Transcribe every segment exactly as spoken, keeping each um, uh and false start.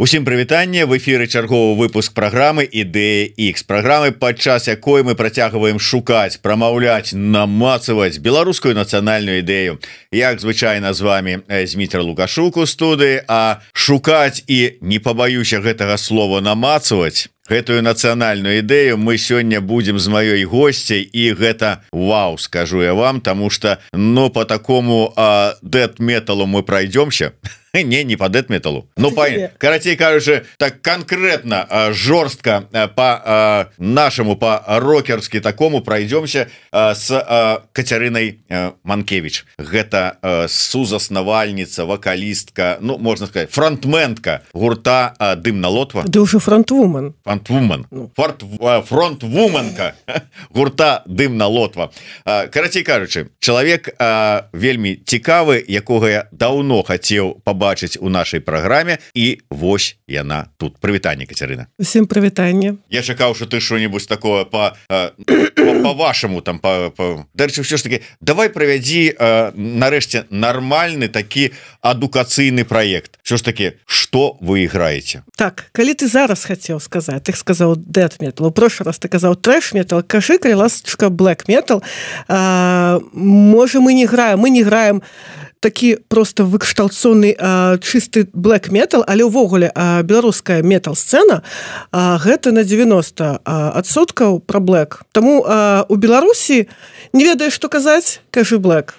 Усім прывітанне, в эфіры чарговы выпуск праграмы Ідэя Х, праграмы, падчас якой мы працягваем шукаць, прамаўляць, намацаваць беларускую нацыянальную ідэю. Як звычайна з вами Зміцер Лукашук у студыі, а шукаць і, не пабаюся гэтага слова, намацаваць гэтую нацыянальную ідэю мы сёння будзем з маёй госцяй, і гэта вау, скажу я вам, таму што, ну, по такому дэт-металу мы пройдёмся. Не, не по дэт-металу. Ну, по, карацей кажучы, так конкретно, жорстко по нашему, по рокерски такому пройдемся с Кацярынай Манкевич. Гэта сузаснавальніца, вокалистка, ну, можно сказать, фронтменка гурта Дымна Лотва. Да уже фронтвумен. Фронтвумен. Фронтвуменка гурта Дымна Лотва. Карацей кажучы, чалавек вельмі цікавы, якога я даўно хацеў побачыць бачыць у нашай праграме, і вось яна тут. Прывітанне, Кацярына. Усім прывітанне. Я чакаў, што ты што-небудзь такое по по-вашаму там по дарэчы, ўсё ж таки давай правядзі нарэшце нармальны такі адукацыйны праект. Ўсё ж таки, што вы іграеце? Так, калі ты зараз хацеў сказаць, ты сказаў дэт-метал, у прошлый раз ты казаў трэш-метал, кажы, калі ласачка, блэк-метал. Можа, мы не граем, мы не граем такі просто выкшталцоны чысты блэк-метал, але ўвогуле беларуская метал-сцэна гэта на девяносто адсоткаў пра блэк. Таму у Беларусі не ведаеш, што казаць, кажы блэк.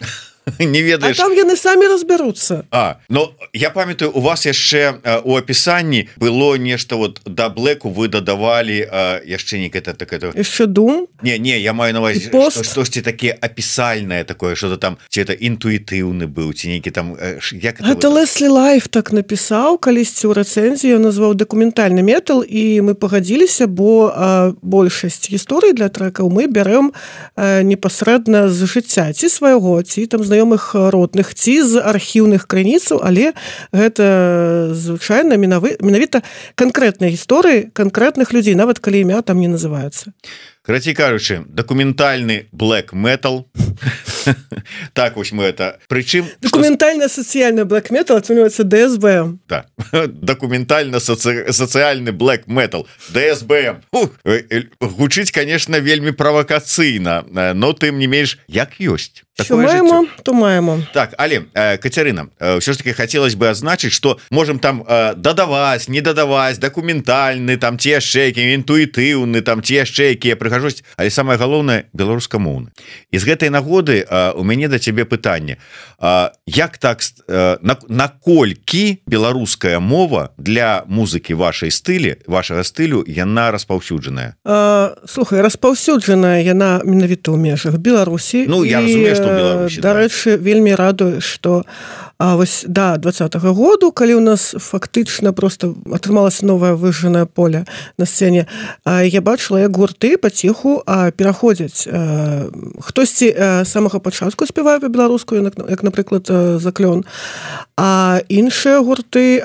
Не ведаеш. А там яны самі разбяруцца. А, ну, я памятаю, у вас яшчэ у апісанні было нешта вот да блэку вы дадавалі яшчэ некае такое. Яшчэ дум? Не, не, я маю на увазе што, штосьці таке апісальнае такое, што-то там, ці это інтуітыўны быў, ці нейкі там як это. Гэта Леслі Лайф так напісаў калісьці ў рэцэнзіі, ён назваў дакументальны метал, і мы пагадзіліся, бо а, большасць гісторый для трэкаў мы бярэм а, непасрэдна з жыцця, ці свайго, ці там знаёмых родных, ці з архіўных крыніцаў, але гэта звычайна менавіта канкрэтныя гісторыі канкрэтных людзей, нават калі імя там не называецца. Карацей кажучы, дакументальны блэк-метал. Так вось мы это. Прычым дакументальна-сацыяльны блэк-метал атрымліваецца дэ эс бэ эм. Да. Дакументальна-сацыяльны блэк-метал. дэ эс бэ эм. Гучыць, конечно, вельмі правакацыйна, но тым не менш, як ёсць. Що маємо, то маємо. Так, але, Кацярына, все ж таки хотелось бы означить, что можем там додавать, не додавать, документальны, там те яшчэ, інтуітыўны, там те яшчэ, якія прыгажосць, але самое галоўнае беларускамоўны. І з гэтай нагоды у мяне да цябе пытанне. Як так, наколькі беларуская мова для музыкі вашай стылі, вашага стылю, яна распаўсюджаная? Слухай, распаўсюджаная яна менавіта ў межах Беларусі. Ну, я разумею, што ў Беларусі. Дарэчы, вельмі радуе, што а вось да двадцатага году, калі ў нас фактычна просто атрымалася новае выжжанае поле на сцэне, я бачыла, як гурты паціху пераходзяць. Хтосьці самага пачатку спявае па-беларуску, як, напрыклад, Заклён, а іншыя гурты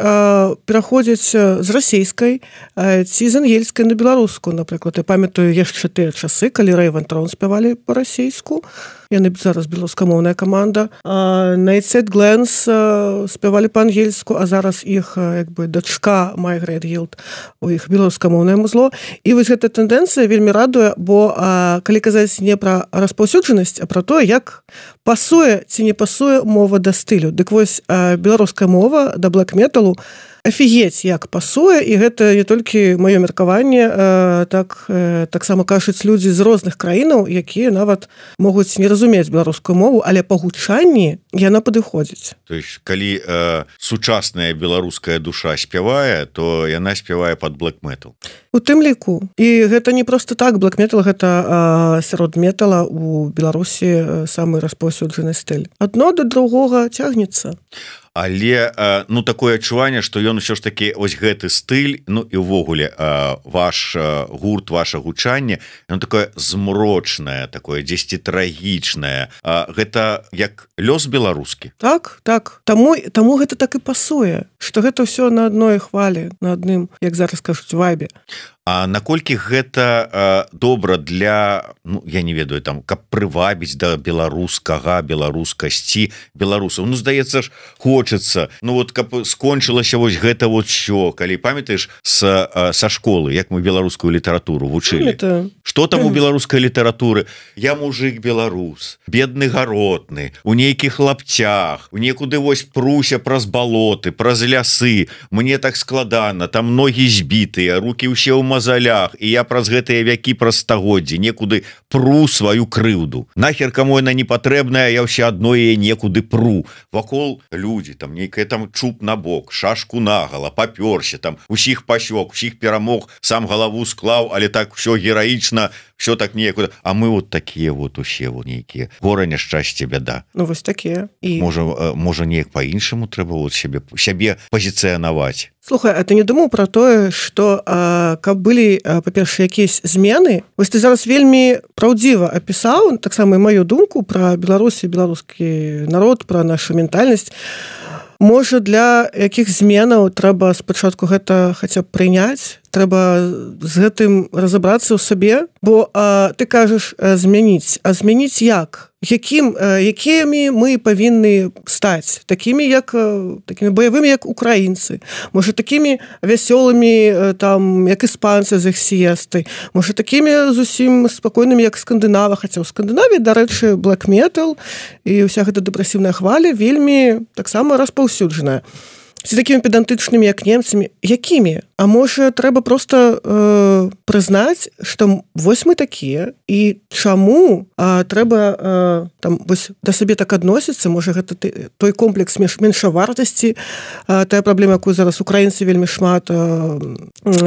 пераходзяць з расейскай ці з ангельскай на беларуску, напрыклад. Я памятаю яшчэ тыя часы, калі Raven Throne спявалі па-расейску, яны зараз беларускамоўная каманда. Nightside Glance спявалі па-ангельску, а зараз іх як бы дачка My Great Guild, у іх беларускамоўнае музло. І вось гэта тэндэнцыя вельмі радуе, бо а, калі казаць не пра распаўсюджанасць, а пра тое, як пасуе ці не пасуе мова да стылю. Дык вось а, беларуская мова да блэк-металу офігеть, як пасуе, і гэта не толькі маё меркаванне, э, так э, таксама кажуць людзі з розных краінаў, якія нават могуць не разумець беларускую мову, але па гучанні яна падыходзіць. То есть, калі э, сучасная беларуская душа спявае, то яна спявае пад блэк-метал. У тым ліку. І гэта не проста так, блэк-метал гэта э, сярод метала у Беларусі самы распаўсюджаны стыль. Адно да другога цягнецца. Але ну такое адчуванне, што ён усё ж такі ось гэты стыль, ну і ўвогуле ваш гурт, ваше гучанне, оно такое змрочнае, такое дзесьці трагічнае. Гэта як лёс беларускі. Так, так. Таму, таму гэта так і пасуе, што гэта ўсё на адной хвалі, на адным, як зараз кажуць, вайбе. А наколькі гэта добра для, ну, я не ведаю, там, каб прывабіць да беларускага, беларускасці беларусаў? Ну, здаецца ж, хочацца, ну вот каб скончылася вось гэта вот що, калі памятаеш са, са школы, як мы беларускую літаратуру вучылі. Это... Што там у беларускай літаратуры? Я мужик беларус, бедны гаротны, у нейкіх лапцях, у некуды вось пруся праз балоты, праз лясы, мне так складана, там ногі збітыя, рукі ўсе ў мазалях, і я праз гэтыя вякі праз стагоддзі некуды пру сваю крыўду. Нахер каму яна не патрэбная, я ўсё адно яе некуды пру. Вакол людзі, там нейкая там чуб на бок, шашку нагала, папёрся, там усіх пасёк, усіх перамог, сам галаву склаў, але так все гераічна, все так некуда. А мы вот такія вот усе вот нейкія. Гора, няшчасце, бяда. Ну вось такія. І... Можа, можа неяк па-іншаму трэба вот сябе, сябе пазіцыянаваць. Слухай, а ты не думаў пра тое, што а, каб былі, па-перша, якісь змены? Вось ты зараз вельмі праўдзіва апісаў, таксама і маю думку пра Беларусь і беларускі народ, пра нашу ментальнасць. Можа, для якіх зменаў трэба спачатку гэта хаця б прыняць, трэба з гэтым разабрацца ў сабе, бо а, ты кажаш змяніць, а змяніць як? Якім, якімі мы павінны стаць? Такімі, як, такімі баявымі, як украінцы, можа, такімі вясёлымі, там, як іспанцы з іх сіестай, можа, такімі зусім спакойнымі, як скандынава, хаця ў Скандынавіі, дарэчы, black metal і ўся гэта дэпрэсіўная хваля вельмі таксама распаўсюджаная. Ці такімі педантычнымі, як немцамі, якімі? А можа, трэба проста э, прызнаць, што вось мы такія, і чаму а, трэба э, там, вось, да сабе так адносіцца, можа, гэта той комплекс меншавартасці, а, тая праблема, якую зараз украінцы вельмі шмат а,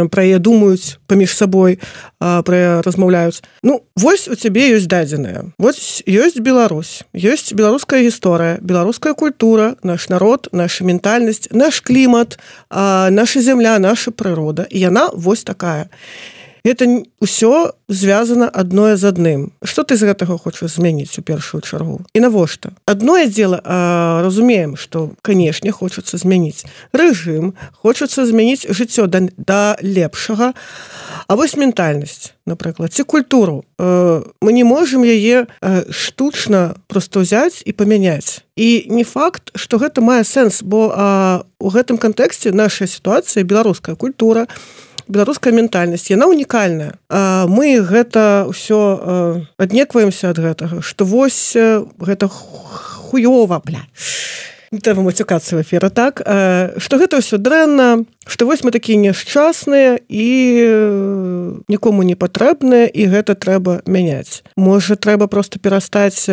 пра яе думаюць паміж сабой, а, пра яе размаўляюць. Ну, вось у цябе ёсць дадзеныя. Вось ёсць Беларусь, ёсць беларуская гісторыя, беларуская культура, наш народ, наша ментальнасць, наш клімат, а, наша зямля, наша прырода, і яна вось такая. Гэта ўсё звязана адное з адным. Што ты з гэтага хочаш змяніць у першую чаргу? І навошта? Адное дзела, а, разумеем, што, канешне, хочацца змяніць рэжым, хочацца змяніць жыццё да, да лепшага, а вось ментальнасць, напрыклад, ці культуру. Э, мы не можам яе э, штучна проста ўзяць і памяняць. І не факт, што гэта мае сэнс, бо а, у гэтым кантэксце наша сітуацыя, беларуская культура, беларуская ментальнасць, яна унікальная. А, мы гэта ўсё аднекваемся ад гэтага, што вось гэта хуёва, бля. Не трэба мацюкацца ў эфіры, так? А, што гэта ўсё дрэнна, што вось мы такія няшчасныя і нікому не патрэбныя, і гэта трэба мяняць. Можа, трэба проста перастаць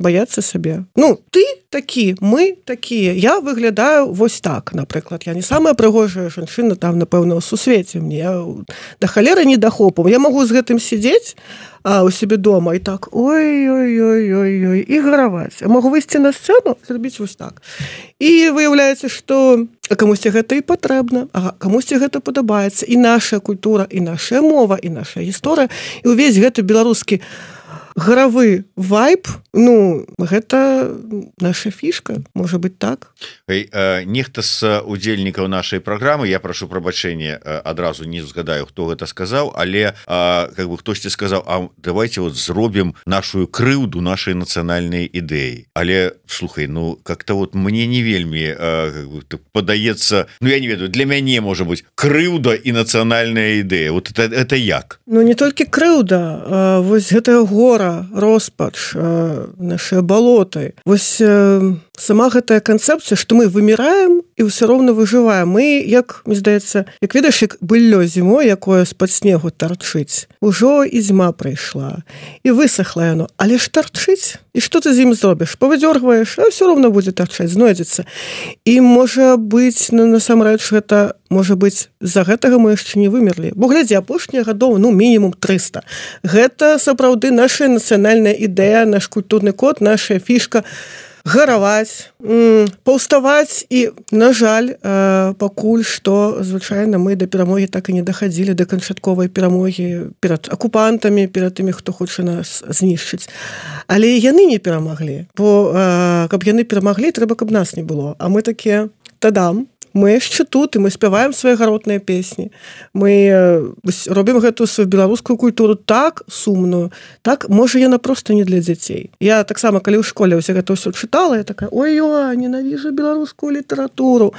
баяцца сабе? Ну, ты такі, мы такія. Я выглядаю вось так, напрыклад. Я не самая прыгожая жанчына там, напэўна, у сусвеце. Мне да халеры не дахопу. Я магу з гэтым сидзець а, у сябе дома і так, ой-ой-ой-ой-ой, і гараваць. Я магу выйсці на сцэну, зрабіць вось так. І выяўляецца, што камусьці гэта і патрэбна, а камусьці гэта падабаецца. І наша культура, і наша мова, і наша гісторыя, і ўвесь гэты беларускі гаравы вайб, ну, гэта наша фішка, можа быць так. Эй, э, нехта з удзельнікаў нашай праграмы, я прашу прабачэння, э, адразу не згадаю, хто гэта сказаў, але э, как бы хтосьці сказаў, а давайте вот зробім нашу крыўду нашай нацыянальнай ідэі. Але, слухай, ну, как-то вот мне не вельмі э, как бы, падаецца, ну, я не ведаю, для мяне, можа быць, крыўда і нацыянальная ідэя. Вот это, это як? Ну, не толькі крыўда, а вось гэтая гора, роспач, наши балоты. Вось сама гэтая канцэпцыя, што мы выміраем і ўсё роўна выжываем. Мы, як, мне здаецца, як ведаеш, як быллё зімой, якое з-пад снегу тарчыць. Ужо і зіма прыйшла, і высохла яно. Але ж тарчыць? І што ты з ім зробіш? Павыдзёргваеш, а ўсё роўна будзе тарчаць, знойдзецца. І можа быць, ну, насамрэч, гэта можа быць, з-за гэтага мы яшчэ не вымерлі. Бо глядзі, апошнія гадоў, ну, мінімум трыста. Гэта сапраўды наша нацыянальная ідэя, наш культурны код, наша фішка гараваць, паўставаць і, на жаль, пакуль што, звычайна, мы да перамогі так і не дахадзілі, да канчатковай перамогі перад акупантамі, перад тымі, хто хоча нас знішчыць. Але яны не перамаглі, бо каб яны перамаглі, трэба, каб нас не было. А мы такія, тадам, мы яшчэ тут і мы спяваем свае гаротныя песні, мы робім гэтую сваю беларускую культуру так сумную, так можа яна просто не для дзяцей. Я таксама калі ў школе ўсе гэта ўсё чытала, я такая: ой-ой, ненавіжу беларускую літаратуру,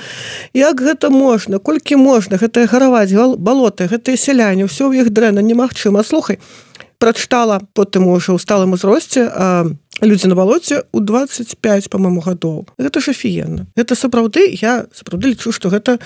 як гэта можна, колькі можна, гэтае гараваць балоты, гэтыя сяляне, ўсё ў іх дрэнна, немагчыма. Слухай, прачытала потым ужо ў сталым узросце «Людзі на балоце» ў дваццаць пяць, па-маму, гадоў. Гэта ж афіенна. Гэта сапраўды, я сапраўды лічу, што гэта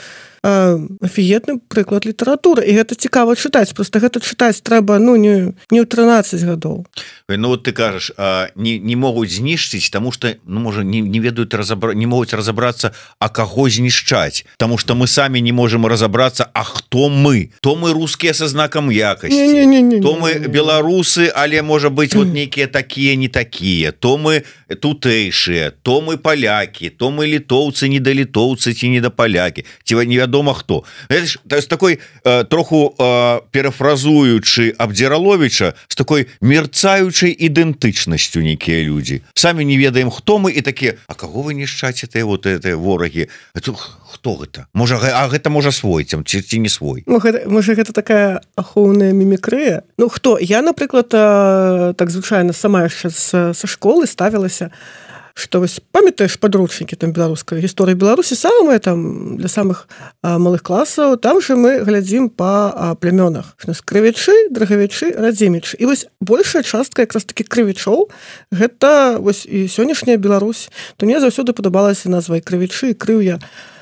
афіетны прыклад літаратуры, і гэта цікава чытаць, просто гэта чытаць трэба, ну, не, не ў трынаццаць гадоў. Ну вот ты кажаш, не, не могуць знішчыць, таму што, ну, можа, не, не ведаюць разабра... не могуць разабрацца, а каго знішчаць, таму што мы самі не можам разабрацца, а хто мы? То мы рускія са знакам якасці, не, не, не, не, то мы беларусы, але можа быць вот нейкія такія, не такія, то мы тутэйшыя, то мы палякі, то мы літоўцы, недалітоўцы ці недапалякі, ці невядома хто. То есть такой э, троху э, перафразуючы Абдзіраловіча, з такой мерцаючай ідэнтычнасцю нейкія людзі. Самі не ведаем, хто мы, і такія: а каго вы нішчаце, вот это ворагі? Это, хто гэта? Можа, а гэта можа свой, ці, ці не свой? Ну, гэта, можа, гэта такая ахоўная мімікрыя? Ну, хто? Я, напрыклад, так звычайна сама яшчэ са школы ставілася, што вось памятаеш падручнікі там беларускай гісторыі Беларусі, самыя там для самых а, малых класаў, там же мы глядзім па а, плямёнах. У нас крывячы, драгавячы, радзімічы. І вось большая частка якраз такі крывячоў, гэта вось і сённяшняя Беларусь. То мне заўсёды падабалася назва і крывячы, і крыўя.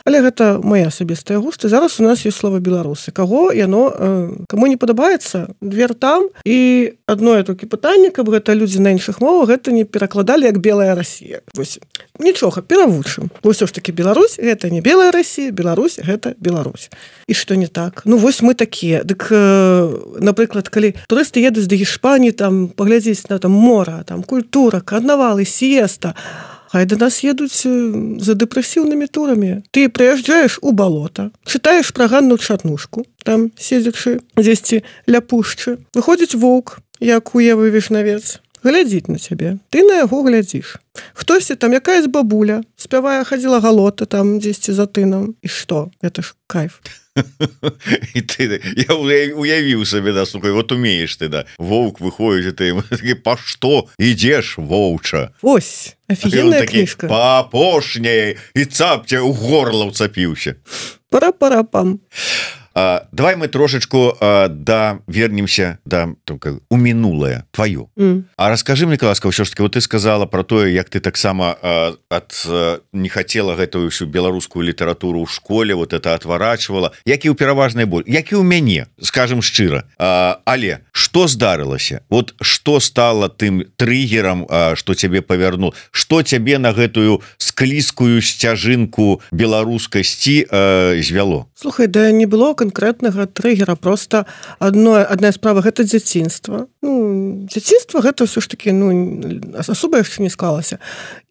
Але гэта моя асабістая густа. Зараз у нас ёсць слова беларусы. Каго яно, э, каму не падабаецца, двер там. І адное толькі пытанне, каб гэта людзі на іншых мовах гэта не перакладалі як белая Расія. Вось нічога, перавучым. Бо ўсё ж такі Беларусь гэта не белая Расія, Беларусь гэта Беларусь. І што не так? Ну вось мы такія. Дык, э, напрыклад, калі турысты едуць да Іспаніі, там паглядзець на там мора, там культура, карнавалы, сіеста, хай да нас едуць за дэпрэсіўнымі турамі. Ты прыязджаеш у балота, чытаеш пра Ганну Чарнушку, там седзячы дзесьці ля пушчы. Выходзіць воўк, як у Евы Вішнавец, глядзіць на цябе. Ты на яго глядзіш. Хтосьці там, якаясь бабуля, спявае, хадзіла галота там дзесьці за тынам. І што? Гэта ж кайф. І ты, я уявіў сабе, да, слухай, вот умееш ты, да, воўк выходзіць, ты такі: па што ідзеш, воўча? Ось, офігенная кніжка. Па апошняй, і цапця ў горла ўцапіўся. Пара-пара-пам. А, давай мы трошечку а, да вернемся да, там, у мінулае твоё. Mm. А расскажы мне, ласка, ўсё ж таки, вот ты сказала про тое, як ты таксама а, ад а, не хацела гэтую всю беларускую літаратуру ў школе, вот это отварачвала, як і ў пераважнай боль, як і ў мяне, скажем шчыра. А, але што здарылася? Вот што стало тым триггером, а, што цябе павярнул? Што цябе на гэтую склізкую сцяжынку беларускасці а, звяло? Слухай, да не было конкретнага триггера, просто одно, одна справа гэта дзяцінства. Ну, дзяцінства гэта ўсё ж таки, ну, асоба яшчэ не склалася.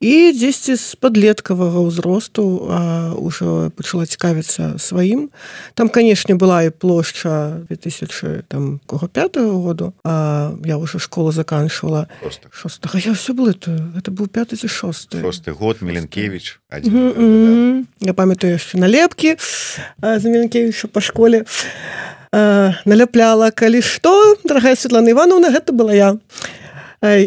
І дзесьці з падлеткавага ўзросту а, ўжо пачала цікавіцца сваім. Там, канешне, была і плошча две тысячи пятого году, а я ўжо школу заканчивала. Шостага. Я ўсё было, это, это быў пяты ці шосты. Шосты год, Міленкевіч. Один mm -hmm. Я памятаю яшчэ налепкі а, за Міленкевіча па школе. А, наляпляла, калі што, дарагая Светлана Івановна, гэта была я.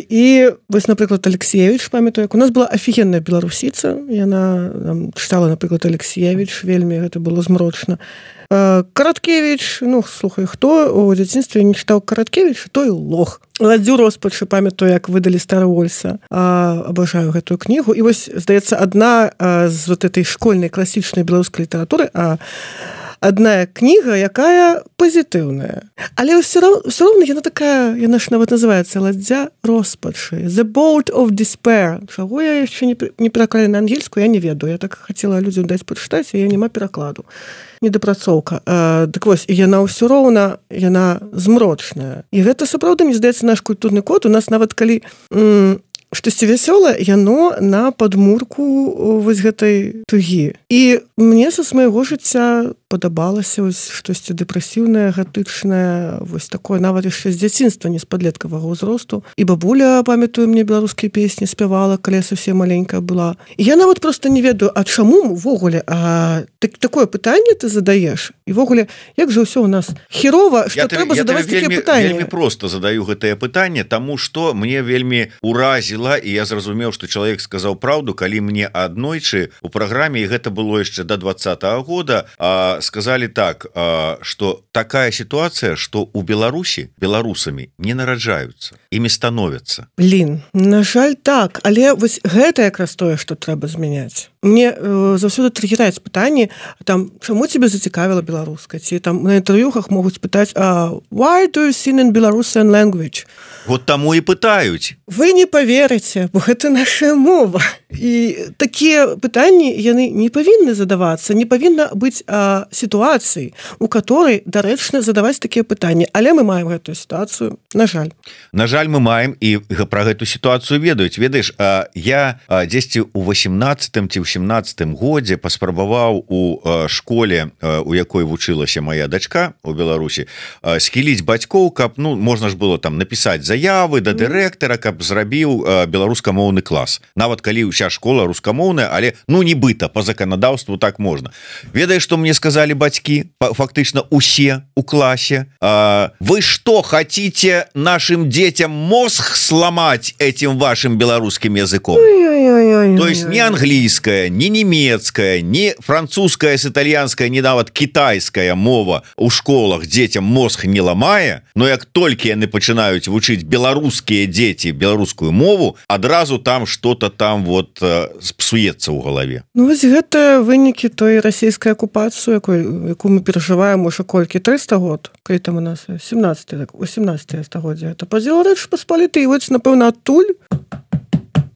І вось, напрыклад, Алексеевич, памятаю, як у нас была офігенная беларусіца, яна там, чытала, напрыклад, Алексеевич, вельмі гэта было змрочна. Караткевич, ну, слухай, хто у дзяцінстве не чытаў Караткевич, той лох. Ладзю роспачы, памятаю, як выдалі Старовольса. Абажаю гэтую кнігу. І вось, здаецца, адна з вот этой школьнай класічнай беларускай літаратуры, а одна кніга, якая пазітыўная. Але ўсё роўна, ўсё роўна яна такая, яна ж нават называецца «Ладдзя роспачы». «The Boat of Despair». Чаго я яшчэ не, не пераклалі на ангельскую, я не ведаю. Я так хацела людзям даць пачытаць, а я няма перакладу. Недапрацоўка. А, так вось, і яна ўсё роўна, яна змрочная. І гэта сапраўды, мне здаецца, наш культурны код. У нас нават калі м, штосьці вясёлае, яно на падмурку вось гэтай тугі. І мне са свайго жыцця падабалася вось штосьці дэпрэсіўнае, гатычнае, вось такое нават яшчэ з дзяцінства, не з падлеткавага ўзросту. І бабуля, памятаю, мне беларускія песні спявала, калі я совсем маленькая была. І я нават проста не ведаю, а чаму ўвогуле а, так, такое пытанне ты задаеш? І ввогуле, як жа ўсё у нас херова, што трэба задаваць такія пытанні? Я вельмі проста задаю гэтае пытанне, таму што мне вельмі уразіла, і я зразумеў, што чалавек сказаў праўду, калі мне аднойчы у праграме, і гэта было яшчэ да двадцатага года, а, сказали так, а, што такая сітуацыя, што у Беларусі беларусамі не нараджаюцца, імі становяцца. Блин, на жаль, так, але вось гэта якраз тое, што трэба змяняць. Мне э, заўсёды триггераюць пытанні, там, чаму тебе зацікавіла беларуская? Ці там на інтэрв'юхах могуць пытаць, а why do you sing in Belarusian language? Вот таму і пытаюць. Вы не поверыце, бо гэта наша мова. І такія пытанні, яны не павінны задавацца, не павінна быць а, сітуацыі, у которой дарэчна задаваць такія пытанні. Але мы маем гэтую сітуацыю, на жаль. На жаль, мы маем, і пра гэту сітуацыю ведаюць. Ведаеш, а, я а, дзесьці ў восемнаццатым ці ў сямнаццатым годзе паспрабаваў у а, школе, а, у якой вучылася моя дачка у Беларусі, а, схіліць бацькоў, каб, ну, можна ж было там напісаць заявы да дырэктара, каб зрабіў а, беларускамоўны клас. Нават калі ўся школа рускамоўная, але, ну, нібыта, по заканадаўству так можна. Ведаеш, што мне сказалі бацькі, фактычна усе у класе? А, вы что, хотите нашим детям мозг сломать этим вашим белорусским языком? То есть не английская, не немецкая, не французская с итальянской, не нават китайская мова у школах детям мозг не ломае, но як толькі яны пачынаюць вучыць беларускія дзеці беларускую мову, адразу там что-то там вот псуецца ў галаве. Ну вось гэта вынікі той расійскай акупацыі, якую мы перажываем уже колькі трыста год, калі там у нас сямнаццатае восемнаццатае стагоддзе, это падзел Рэчы Паспалітай, і вось напэўна адтуль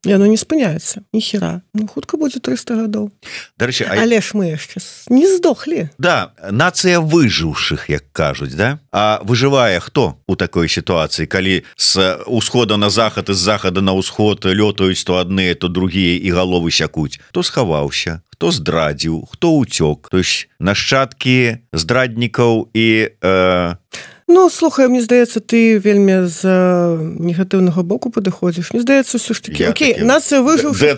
яно не спыняецца, ніхера. Ну, хутка будзе трыста гадоў. Дарэчы, а... Але ж мы яшчэ не здохлі. Да, нацыя выжыўшых, як кажуць, да? А выжывае хто у такой сітуацыі, калі з усхода на захад і з захада на ўсход лётаюць то адныя, то другія і галовы сякуць? Хто схаваўся, хто здрадзіў, хто ўцёк? То есть нашчадкі здраднікаў і... Э... Ну, слухай, мне здаецца, ты вельмі з негатыўнага боку падыходзіш. Мне здаецца, ўсё ж такі, окей, нацыя выжыўшая,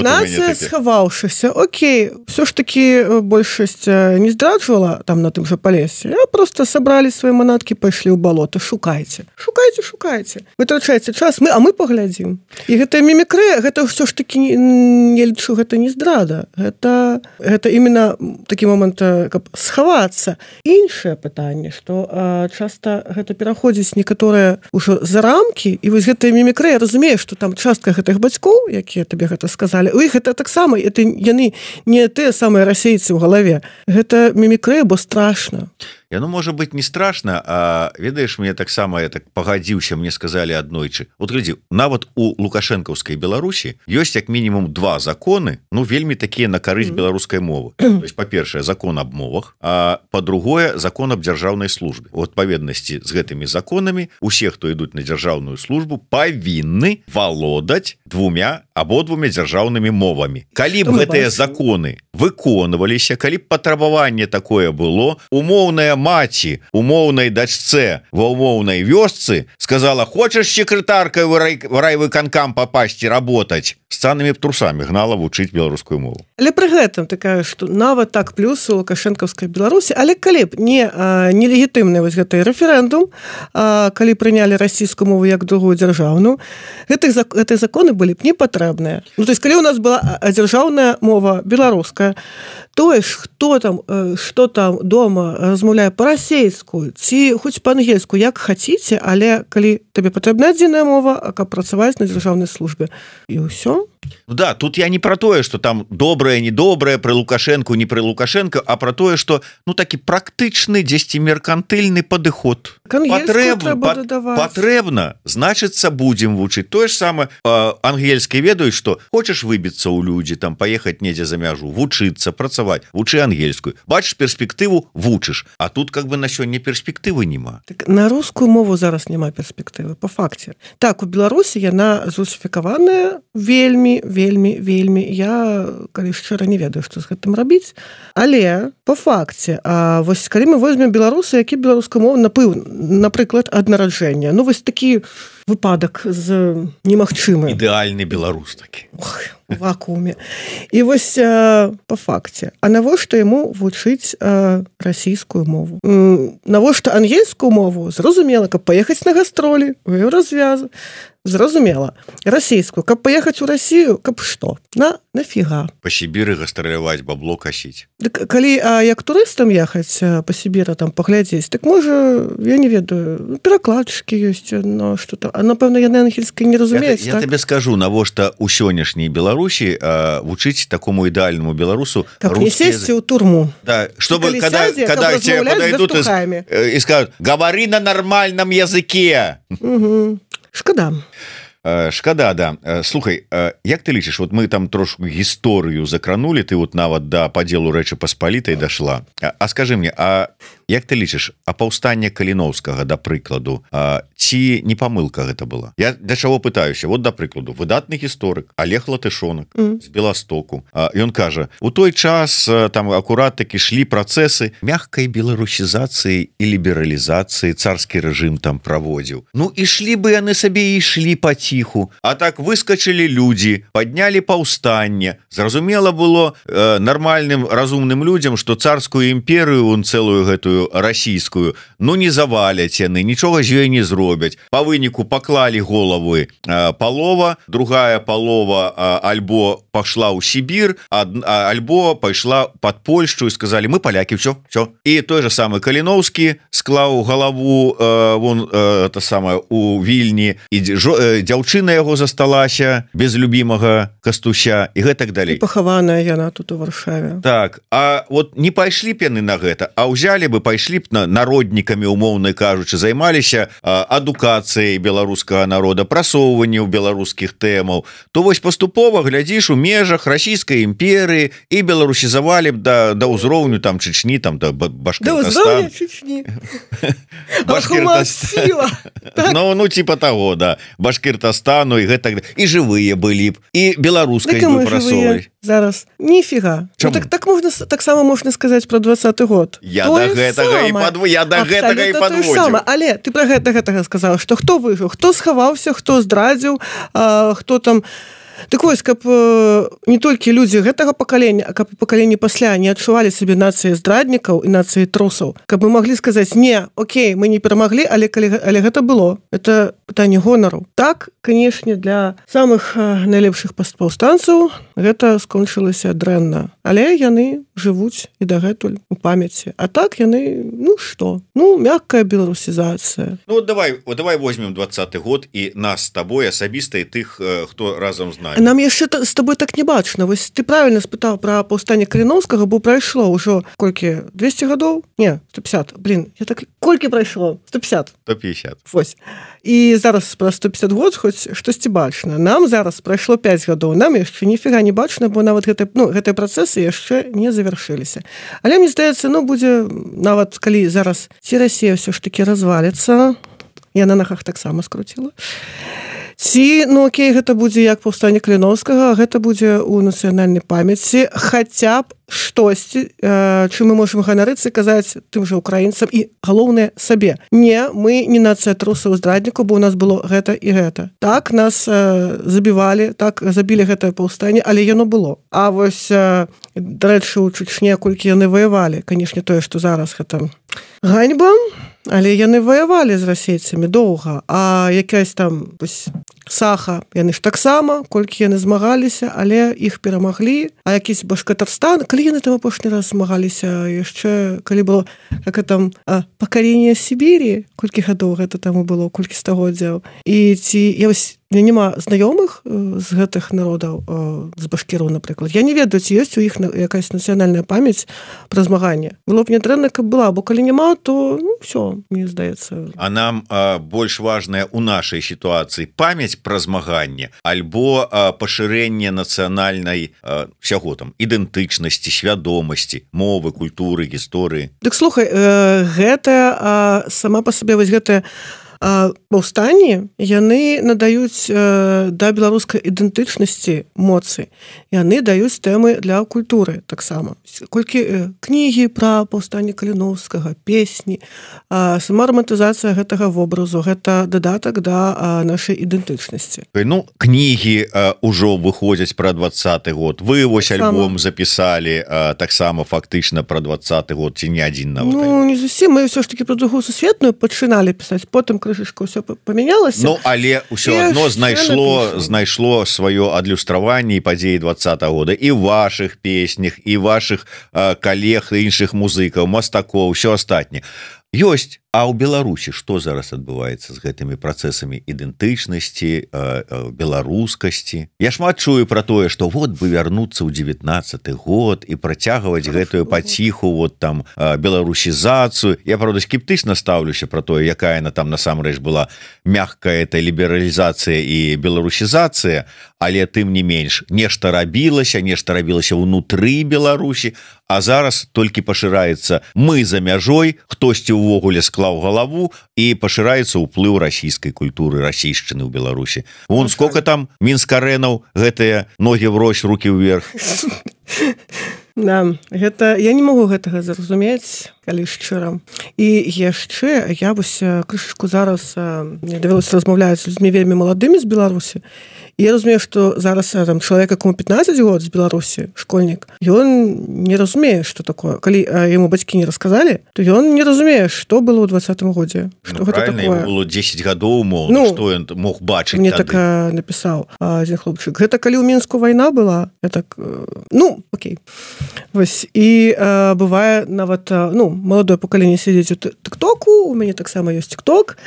нацыя схаваўшыся, окей, ўсё ж такі большасць не здраджвала там на тым жа Палесе, а просто сабралі свае манаткі, пайшлі ў балота. Шукайце, шукайце, шукайце. Вытрачайце час, мы, а мы паглядзім. І гэтая мімікрыя, гэта ўсё ж такі, не лічу, гэта не здрада. Гэта, гэта іменно такі момант, каб схавацца. Іншае пытанне, што час часта гэта пераходзіць некаторыя ўжо за рамкі, і вось гэтая мімікрыя, разумею, што там частка гэтых бацькоў, якія табе гэта сказалі, у іх гэта таксама, это яны не тыя самыя расейцы ў галаве. Гэта мімікрыя, бо страшна. Яно можа быць не страшна, а ведаеш, мне таксама я так пагадзіўся, мне сказалі аднойчы. Вот глядзі, нават у лукашэнкаўскай Беларусі ёсць як мінімум два законы, ну вельмі такія на карысць mm-hmm. беларускай мовы. То есть, па-першае, закон аб мовах, а па-другое, закон аб дзяржаўнай службе. У адпаведнасці з гэтымі законамі усе, хто ідуць на дзяржаўную службу, павінны валодаць двумя абодвумя дзяржаўнымі мовамі. Калі б гэтыя законы выконваліся, калі б патрабаванне такое было, умоўная маці умоўнай дачцэ ва умоўнай вёсцы сказала: хочаш секретаркай в райвыканкам попасці работаць, з цанымі б трусамі гнала вучыць беларускую мову. Але пры гэтым ты кажаш, што нават так плюс у лукашэнкаўскай Беларусі, але калі б не нелегітымны вось гэты рэферэндум, а, калі прынялі расійскую мову як другую дзяржаўную, гэтых гэтыя законы былі б не патрэбныя. Ну то есть калі у нас была дзяржаўная мова беларуская, тое ж хто там што там дома размаўляе па-расейску ці хоць па-ангельску, як хаціце, але калі табе патрэбна адзіная мова, а каб працаваць на дзяржаўнай службе, і ўсё. Да, тут я не про тое, что там добрае, недобрае пры Лукашенко, не пры Лукашенко, а про тое, что ну такі практычны дзесьці меркантыльны падыход. Патрэбна, значыцца будзем вучыць. Тое ж самае ангельскай ведаюць, што хочаш выбіцца ў людзі, там паехаць недзе за мяжу, вучыцца, працаваць, вучы ангельскую. Бачыш перспектыву, вучыш. А тут как бы на сёння перспектывы няма. Так, на рускую мову зараз няма перспектывы, по факце. Так, у Беларусі яна зрусіфікаваная вельмі, вельмі, вельмі. Я, калі шчыра, не ведаю, што з гэтым рабіць. Але, по факце, а вось калі мы возьмем беларусы, які беларускую мову, напрыклад, ад нараджэння. Ну, вось такі выпадак з немагчымы. Ідэальны беларус такі. Ох, у вакууме. І вось а, по факце. А навошта яму вучыць а, расійскую мову? М, навошта ангельскую мову? Зразумела, каб паехаць на гастролі, у Еўразвязу. Зразумела. Расійскую, каб паехаць у Расію, каб што? На, нафіга. Па Сібіры гастраляваць, бабло касіць. Дык, калі а, як турыстам ехаць па Сібіры, там паглядзець, так можа, я не ведаю, перакладчыкі ёсць, но што там. А напэўна, яны ангельскай не разумеюць, я, так? Я табе скажу, навошта ў сённяшняй Беларусі а, вучыць такому ідэальнаму беларусу каб не сесці ў турму. Да, чтобы когда, сядзе, когда тебе подойдут и, и скажут, говори на нормальном языке. Угу. Шкада. Шкада, да. Слухай, як ты лічыш, вот мы там трошку гісторыю закранули, ты вот нават да падзелу Рэчы Паспалітай дашла. А скажи мне, а як ты лічыш, а паўстанне Каліноўскага, да прыкладу, а, ці не памылка гэта была? Я для чаго пытаюся? Вот, да прыкладу, выдатны гісторык Олег Латышонак mm. з Беластоку. А, ён кажа, у той час там акурат такі шлі працэсы мягкай беларусізацыі і лібералізацыі, царскі рэжым там праводзіў. Ну, ішлі бы яны сабе і ішлі паціху. А так выскачылі людзі, паднялі паўстанне. Зразумела было э, нармальным, разумным людзям, што царскую імперыю, он цэлую гэтую расійскую, ну не заваляць яны, нічога з ёй не зробяць. Па выніку паклалі головы а, палова, другая палова а, альбо пашла ў Сібір, а, а, альбо пайшла пад Польшчу і сказалі, мы палякі, все, все. І той же самы Каліноўскі склаў галаву а, вон а, та самая у Вільні, і жо, а, дзяўчына яго засталася без любімага Кастуся і гэтак далей. І пахаваная яна тут у Варшаве. Так, а вот не пайшлі б яны на гэта, а ўзялі бы, пайшлі б на народнікамі, умоўна кажучы, займаліся адукацыяй беларускага народа, прасоўваннем беларускіх тэмаў, то вось паступова глядзіш у межах расійскай імперыі і беларусізавалі б да, да ўзроўню там Чечні, там да Башкортостан. Да ўзроўню Чечні. Башкортостан. Ну, ну, типа таго, да. Башкортостану і гэтак, і жывыя былі б, і беларускай бы прасоўвалі. Зараз ніфіга. Ну, так, так можна, так само можна сказаць про двадцаты год. Я да гэтага і падводзіў. Я да гэтага і падводзіў. Але ты пра гэта гэтага сказаў, што хто выжыў, хто схаваўся, хто здрадзіў, а, хто там... Так вось, каб э, не толькі людзі гэтага пакалення, а каб пакаленні пасля не адчувалі сабе нацыі здраднікаў і нацыі трусаў, каб мы маглі сказаць, не, окей, мы не перамаглі, але, калі, але гэта было. Это пытанне гонару. Так, канешне, для самых э, найлепшых паўстанцаў гэта скончылася дрэнна. Але яны жывуць і дагэтуль у памяці. А так яны, ну што? Ну, мяккая беларусізацыя. Ну, вот давай, вот давай возьмем двадцаты год і нас з табой асабіста і тых, хто разам з нами. Нам яшчэ з табой так не бачна. Вось ты правільна спытаў пра паўстанне Каліноўскага, бо прайшло ўжо колькі? двесце гадоў? Не, сто пятьдесят. Блин, я так... Колькі прайшло? сто пятьдесят. сто пятьдесят. Вось. І зараз пра сто пятьдесят год хоць штосьці бачна. Нам зараз прайшло пять гадоў. Нам яшчэ ніфіга не бачна, бо нават гэтыя, ну, гэтыя працэсы яшчэ не завяршыліся. Але мне здаецца, ну, будзе нават калі зараз ці Расія ўсё ж такі разваліцца, я на нагах таксама скруціла, ці, ну окей, гэта будзе як паўстанне Каліноўскага, гэта будзе ў нацыянальнай памяці, хаця б штосьці, э, чым мы можам ганарыцца і казаць тым жа украінцам і, галоўнае, сабе. Не, мы не нацыя трусаў здраднікаў, бо у нас было гэта і гэта. Так, нас э, забівалі, так, забілі гэтае паўстанне, але яно было. А вось, э, дарэчы, у Чечне, колькі яны ваявалі, канешне, тое, што зараз гэта ганьба, але яны ваявалі з расейцамі доўга, а якась там вось, Саха, яны ж таксама, колькі яны змагаліся, але іх перамаглі, а якісь Башкортостан, калі яны там апошні раз змагаліся, яшчэ, калі было, як там, пакаленне Сібірі, колькі гадоў гэта таму было, колькі стагоддзяў, і ці, я вось, мне няма знаёмых з гэтых народаў, з башкіраў, напрыклад. Я не ведаю, ці ёсць у іх якась нацыянальная памяць пра змаганне. Было б не дрэнна, каб была, бо калі няма, то ну, все, мне здаецца. А нам а, больш важная у нашай сітуацыі памяць пра змаганне альбо а, пашырэнне нацыянальнай а, всяго там ідэнтычнасці, свядомасці, мовы, культуры, гісторыі. Дык слухай, э, гэта э, сама па сабе вось гэтая паўстанні яны надаюць э, да беларускай ідэнтычнасці моцы, яны даюць тэмы для культуры таксама. Колькі э, кнігі пра паўстанне Каліноўскага, песні, э, сама романтызацыя гэтага вобразу, гэта дадатак да э, нашай ідэнтычнасці. Ну, кнігі э, ўжо выходзяць пра двадцаты год. Вы вось так альбом запісалі э, таксама фактычна пра двадцаты год, ці не адзін нават. Ну, не зусім, мы ўсё ж такі пра другую сусветную пачыналі пісаць, потым крышачка ўсё памянялася. Ну, але ўсё адно знайшло знайшло сваё адлюстраванне і падзеі двадцатага года і ў вашых песнях, і вашых э, калег, іншых музыкаў, мастакоў, ўсё астатняе. Ёсць, а ў Беларусі што зараз адбываецца з гэтымі працэсамі ідэнтычнасці, беларускасці? Я шмат чую пра тое, што вот бы вярнуцца ў дзевятнаццаты год і працягваць гэтую паціху вот там беларусізацыю. Я, правда, скептычна стаўлюся пра тое, якая яна там насамрэч была мягкая эта лібералізацыя і беларусізацыя, але тым не менш нешта рабілася, нешта рабілася ўнутры Беларусі, а зараз толькі пашыраецца мы за мяжой, хтосьці ўвогуле склаў галаву і пашыраецца ўплыў расійскай культуры, расійшчыны ў Беларусі. Вон сколько там мінскарэнаў, гэтыя ногі врозь, рукі ўверх. Да, гэта я не магу гэтага зразумець, калі шчыра. І яшчэ я вось крышачку зараз мне давялося размаўляць з людзьмі вельмі маладымі з Беларусі. І я разумею, што зараз там чалавек, якому пятнаццаць год з Беларусі, школьнік, ён не разумее, што такое. Калі яму бацькі не расказалі, то ён не разумее, што было ў двадцатым годзе. Што Ну, гэта правильно, такое. ему было дзесяць гадоў, мол, Ну, што ён мог бачыць Мне тады. так а, напісаў адзін хлопчык. Гэта калі ў Мінску вайна была, я так, э, ну, окей. Вось, і э, бывае нават, э, ну, маладое пакаленне сядзіць у тык-току, у мяне таксама ёсць тык-ток,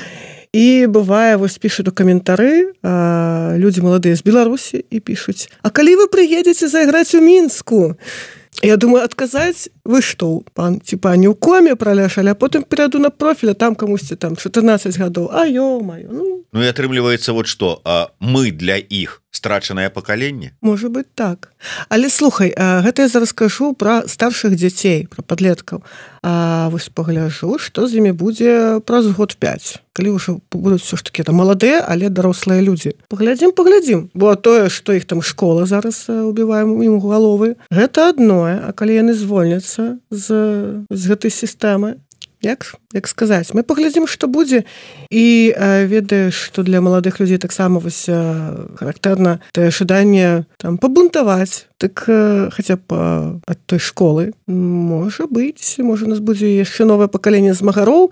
і бывае, вось пішуць у каментары э, людзі маладыя з Беларусі і пішуць: а калі вы прыедзеце зайграць у Мінску? Я думаю, адказаць: вы што, пан, типа, не ў коме праляшалі, а потым перайду на профіль, а там камусьці там чатырнаццаць гадоў. А ё-маё, ну... Ну і атрымліваецца вот што, а мы для іх страчанае пакаленне? Можа быць так. Але слухай, а, гэта я зараз кажу пра старшых дзяцей, пра падлеткаў. А вось пагляджу, што з імі будзе праз год пяць. Калі ўжо будуць все ж такі там маладыя, але дарослыя людзі. Паглядзім, паглядзім. Бо тое, што іх там школа зараз убіваем ім у галовы, гэта адное. А калі яны звольняцца з, з гэтай сістэмы, Як, як сказаць, мы паглядзім, што будзе, і э, ведаеш, што для маладых людзей таксама вось э, характэрна тое жаданне там пабунтаваць, так э, хаця б э, ад той школы. Можа быць, можа у нас будзе яшчэ новае пакаленне змагароў,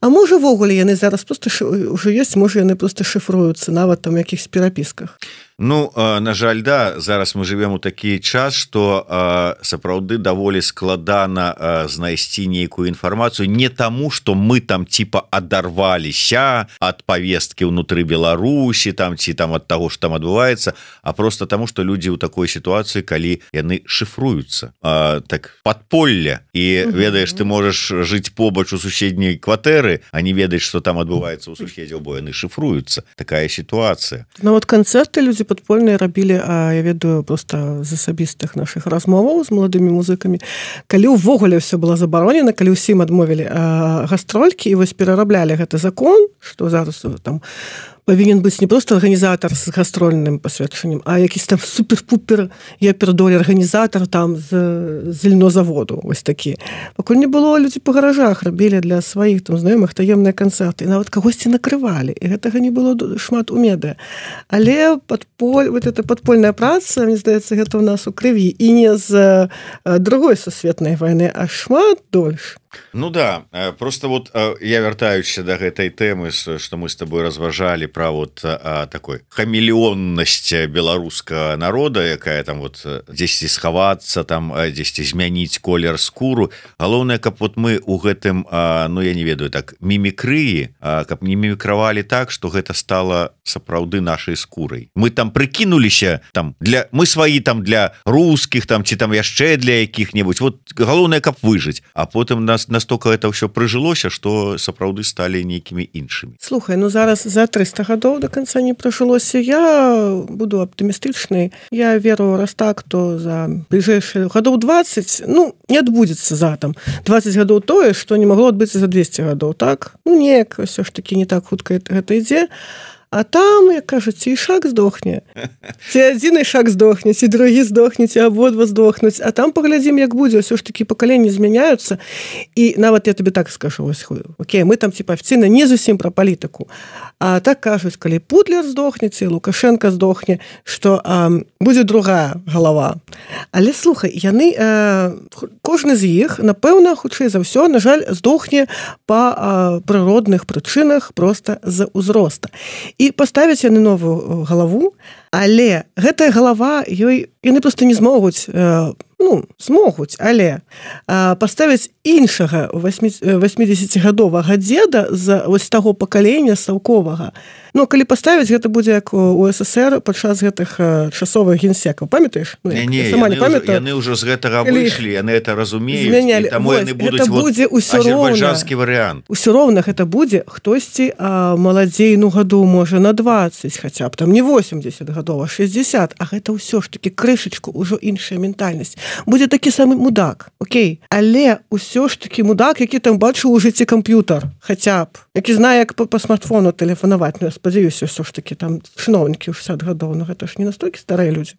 а можа ввогуле яны зараз проста ўжо ёсць, можа яны проста шыфруюцца нават там якіхсь перапісках. Ну, на жаль, да, зараз мы живем у такі час, што сапраўды даволі складана знайсці нейкую інфармацыю не таму, што мы там типа адарваліся ад павесткі ўнутры Беларусі, там ці там ад таго, што там адбываецца, а просто таму, што людзі ў такой сітуацыі, калі яны шыфруюцца. А, так падполле, і угу. ведаеш, ты можаш жыць побач у суседняй кватэры, а не ведаеш, што там адбываецца ў суседзяў, бо яны шыфруюцца. Такая сітуацыя. Ну вот канцэрты людзі падпольныя рабілі, а я ведаю проста з асабістых нашых размоваў з маладымі музыкамі, калі ўвогуле ўсё было забаронена, калі ўсім адмовілі гастролькі і вось перараблялі гэты закон, што зараз там павінен быць не проста арганізатар з гастрольным пасведчаннем, а якісь там супер-пупер епердоль арганізатар там з, з льнозаводу, вось такі. Пакуль не было, людзі па гаражах рабілі для сваіх там знаёмых таемныя канцэрты, і нават кагосьці накрывалі, і гэтага не было шмат у медыа. Але падполь, вот эта падпольная праца, мне здаецца, гэта ў нас у крыві, і не з другой сусветнай вайны, а шмат дольш. Ну да, просто вот я вяртаюся до гэтай тэмы, что мы с тобой разважалі про вот такой хамелеоннасць беларускага народа, якая там вот дзесьці схавацца, там дзесьці змяніць колер скуру. Галоўнае, каб вот мы у гэтым, ну я не ведаю, так мімікрыі, каб не мімікравалі так, что гэта стала сапраўды нашай скурай. Мы там прыкінуліся там для мы сваі там для русских там ці там яшчэ для якіх-небудзь. Вот галоўнае, каб выжыць, а потым нас настолько это ўсё прыжылося, что сапраўды сталі нейкімі іншымі. Слухай, ну зараз за трыста гадоў до конца не прожылося. Я буду аптымістычнай. Я веру, раз так, то за бліжэйшыя гадоў двадцать, ну, не адбудзецца за там двадцать гадоў тое, што не магло адбыцца за двести гадоў, так? Ну, неяк ўсё ж таки не так хутка гэта ідзе. А там, як кажуць, ці шаг здохне, ці адзін шаг здохне, ці другі здохне, ці абодва здохнуць. А там паглядзім, як будзе, ўсё ж такі пакаленні змяняюцца. І нават я табе так скажу, ось, окей, мы там типа афіцыйна не зусім пра палітыку. А так кажуць, калі Путлер здохне, ці Лукашенко здохне, што а, будзе другая галава. Але слухай, яны, а, кожны з іх, напэўна, хутчэй за ўсё, на жаль, здохне па а, прыродных прычынах проста з узроста. І паставяць яны новую галаву, але гэтая галава, ёй яны проста не змогуць, ну, змогуць, але паставяць іншага восьмідзесяцігадовага дзеда з вось таго пакалення саўковага. Ну, калі паставіць, гэта будзе як у СССР падчас гэтых часовых генсекаў. Памятаеш? Ну, не, не, яны, ўжо, яны ўжо з гэтага выйшлі, яны это разумеюць, змянялі. І таму яны будуць вот азербайджанскі варыянт. Усё роўна гэта будзе хтосьці маладзей, ну, гадоў, можа, на двадцать, хаця б там не восемьдесят гадоў, а шестьдесят, а гэта ўсё ж такі крышачку, ўжо іншая ментальнасць. Будзе такі самы мудак, окей? Але ўсё ж такі мудак, які там бачыў у жыцці камп'ютар, хаця б, які знае, як па, па смартфону тэлефанаваць. Ну, я спадзяюся, ўсё ж такі там чыноўнікі ў шестьдесят гадоў, ну гэта ж не настолькі старыя людзі.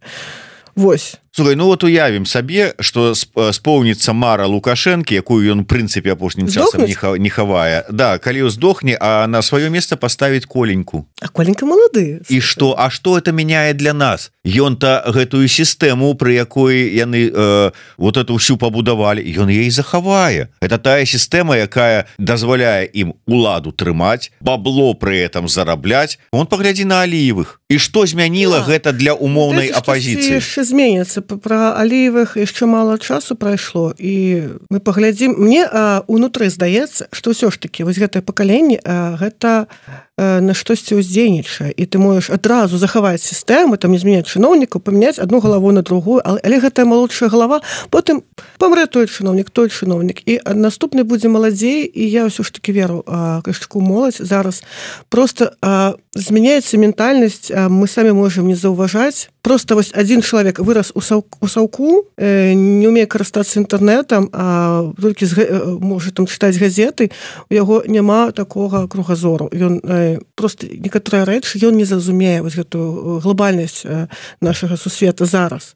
Вось. Слухай, ну вот уявім сабе, што споўніцца мара Лукашэнкі, якую ён, у прынцыпе, апошнім часам не хавае. Да, калі здохне, а на сваё месца паставіць Коленьку. А Коленька малады. І што? А што это мяняе для нас? Ён-то гэтую сістэму, пры якой яны э, вот эту ўсю пабудавалі, ён ей захавае. Это тая сістэма, якая дазваляе ім уладу трымаць, бабло пры этом зарабляць. Он паглядзі на Аліевых. І што змяніла да. гэта для умоўнай апазіцыі? Яшчэ зменіцца. Пра Аліевых яшчэ мала часу прайшло, і мы паглядзім. Мне а, унутры здаецца, што ўсё ж такі вось гэтае пакаленне, а, гэта а, на штосьці ўздзейнічае, і ты можаш адразу захаваць сістэму, там не змяняць чыноўнікаў, памяняць адну галаву на другую, але, але гэтая малодшая галава, потым памрэ той чыноўнік, той чыноўнік, і наступны будзе маладзей, і я ўсё ж такі веру, кашчаку моладзь зараз просто а, змяняецца ментальнасць, а, мы самі можам не заўважаць. Просто вось адзін чалавек вырас у саўку, у саўку э, не умее карыстацца інтэрнэтам, а толькі з, э, можа там чытаць газеты, у яго няма такога кругазору. Ён э, просто некаторыя рэчы ён не зразумее вось гэтую глобальнасць э, нашага сусвета зараз.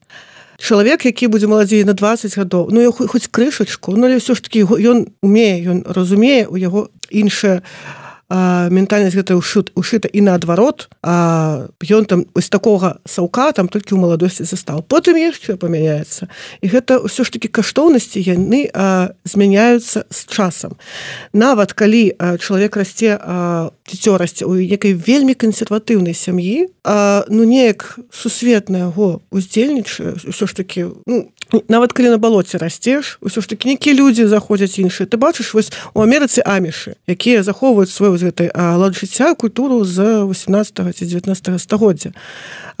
Чалавек, які будзе маладзей на двадцать гадоў, ну хоць крышачку, ну але ўсё ж такі ён умее, ён разумее, у яго іншая А, ментальнасць гэта ушыта і наадварот, а ён там з такога саўка там толькі ў маладосці застаў. Потым яшчэ памяняецца. І гэта ўсё ж такі каштоўнасці яны а, змяняюцца з часам. Нават калі а, чалавек расце, а, дзіцё расце у некай вельмі кансерватыўнай сям'і, а, ну неяк сусвет на яго уздзельнічае, ўсё ж такі, ну, нават калі на балоце расцеш, усё ж такі нейкія людзі заходзяць іншыя. Ты бачыш вось у Амерыцы амішы, якія захоўваюць свой з гэтай лад жыцця, культуру з восемнадцатага ці дзевятнаццатага стагоддзя.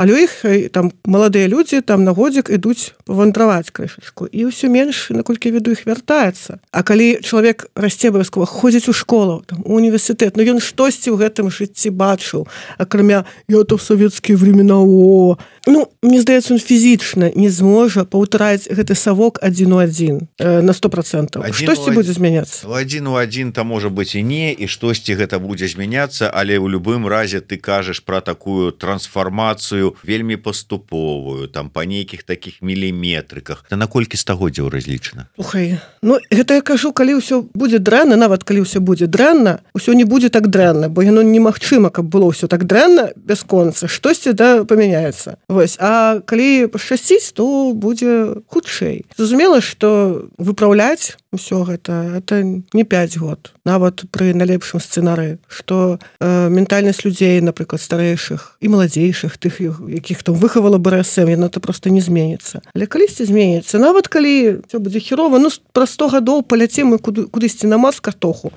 Але у іх там маладыя людзі там на годзік ідуць павандраваць крышачку. І ўсё менш, наколькі веду, іх вяртаецца. А калі чалавек расце абавязкова, ходзіць у школу, там, у універсітэт, ну ён штосьці ў гэтым жыцці бачыў, акрамя «я-то в савецкія времена, о». Ну, мне здаецца, он фізічна не зможа паўтараць гэты савок адзін у адзін э, на сто процентаў. Штосьці будзе змяняцца. Адзін у адзін там можа быць і не, і штосьці гэта будзе змяняцца, але ў любым разе ты кажаш пра такую трансфармацыю вельмі паступовую, там па нейкіх такіх міліметрыках. Та на колькі стагоддзяў разлічана? Слухай, ну гэта я кажу, калі ўсё будзе дрэнна, нават калі ўсё будзе дрэнна, усё не будзе так дрэнна, бо яно немагчыма, каб было ўсё так дрэнна бясконца, штосьці да памяняецца. Вось, а калі пашчасціць, то будзе хутчэй. Зразумела, што выпраўляць усё гэта это не пяць год, нават пры найлепшым сцэнары, што э, ментальнасць людзей, напрыклад, старэйшых і маладзейшых, тых, якіх там выхавала бэ эс эм, яно то проста не зменіцца. Але калісьці зменіцца, нават калі ўсё будзе херова, ну праз сто гадоў паляцем мы куды, кудысьці на Марс картоху.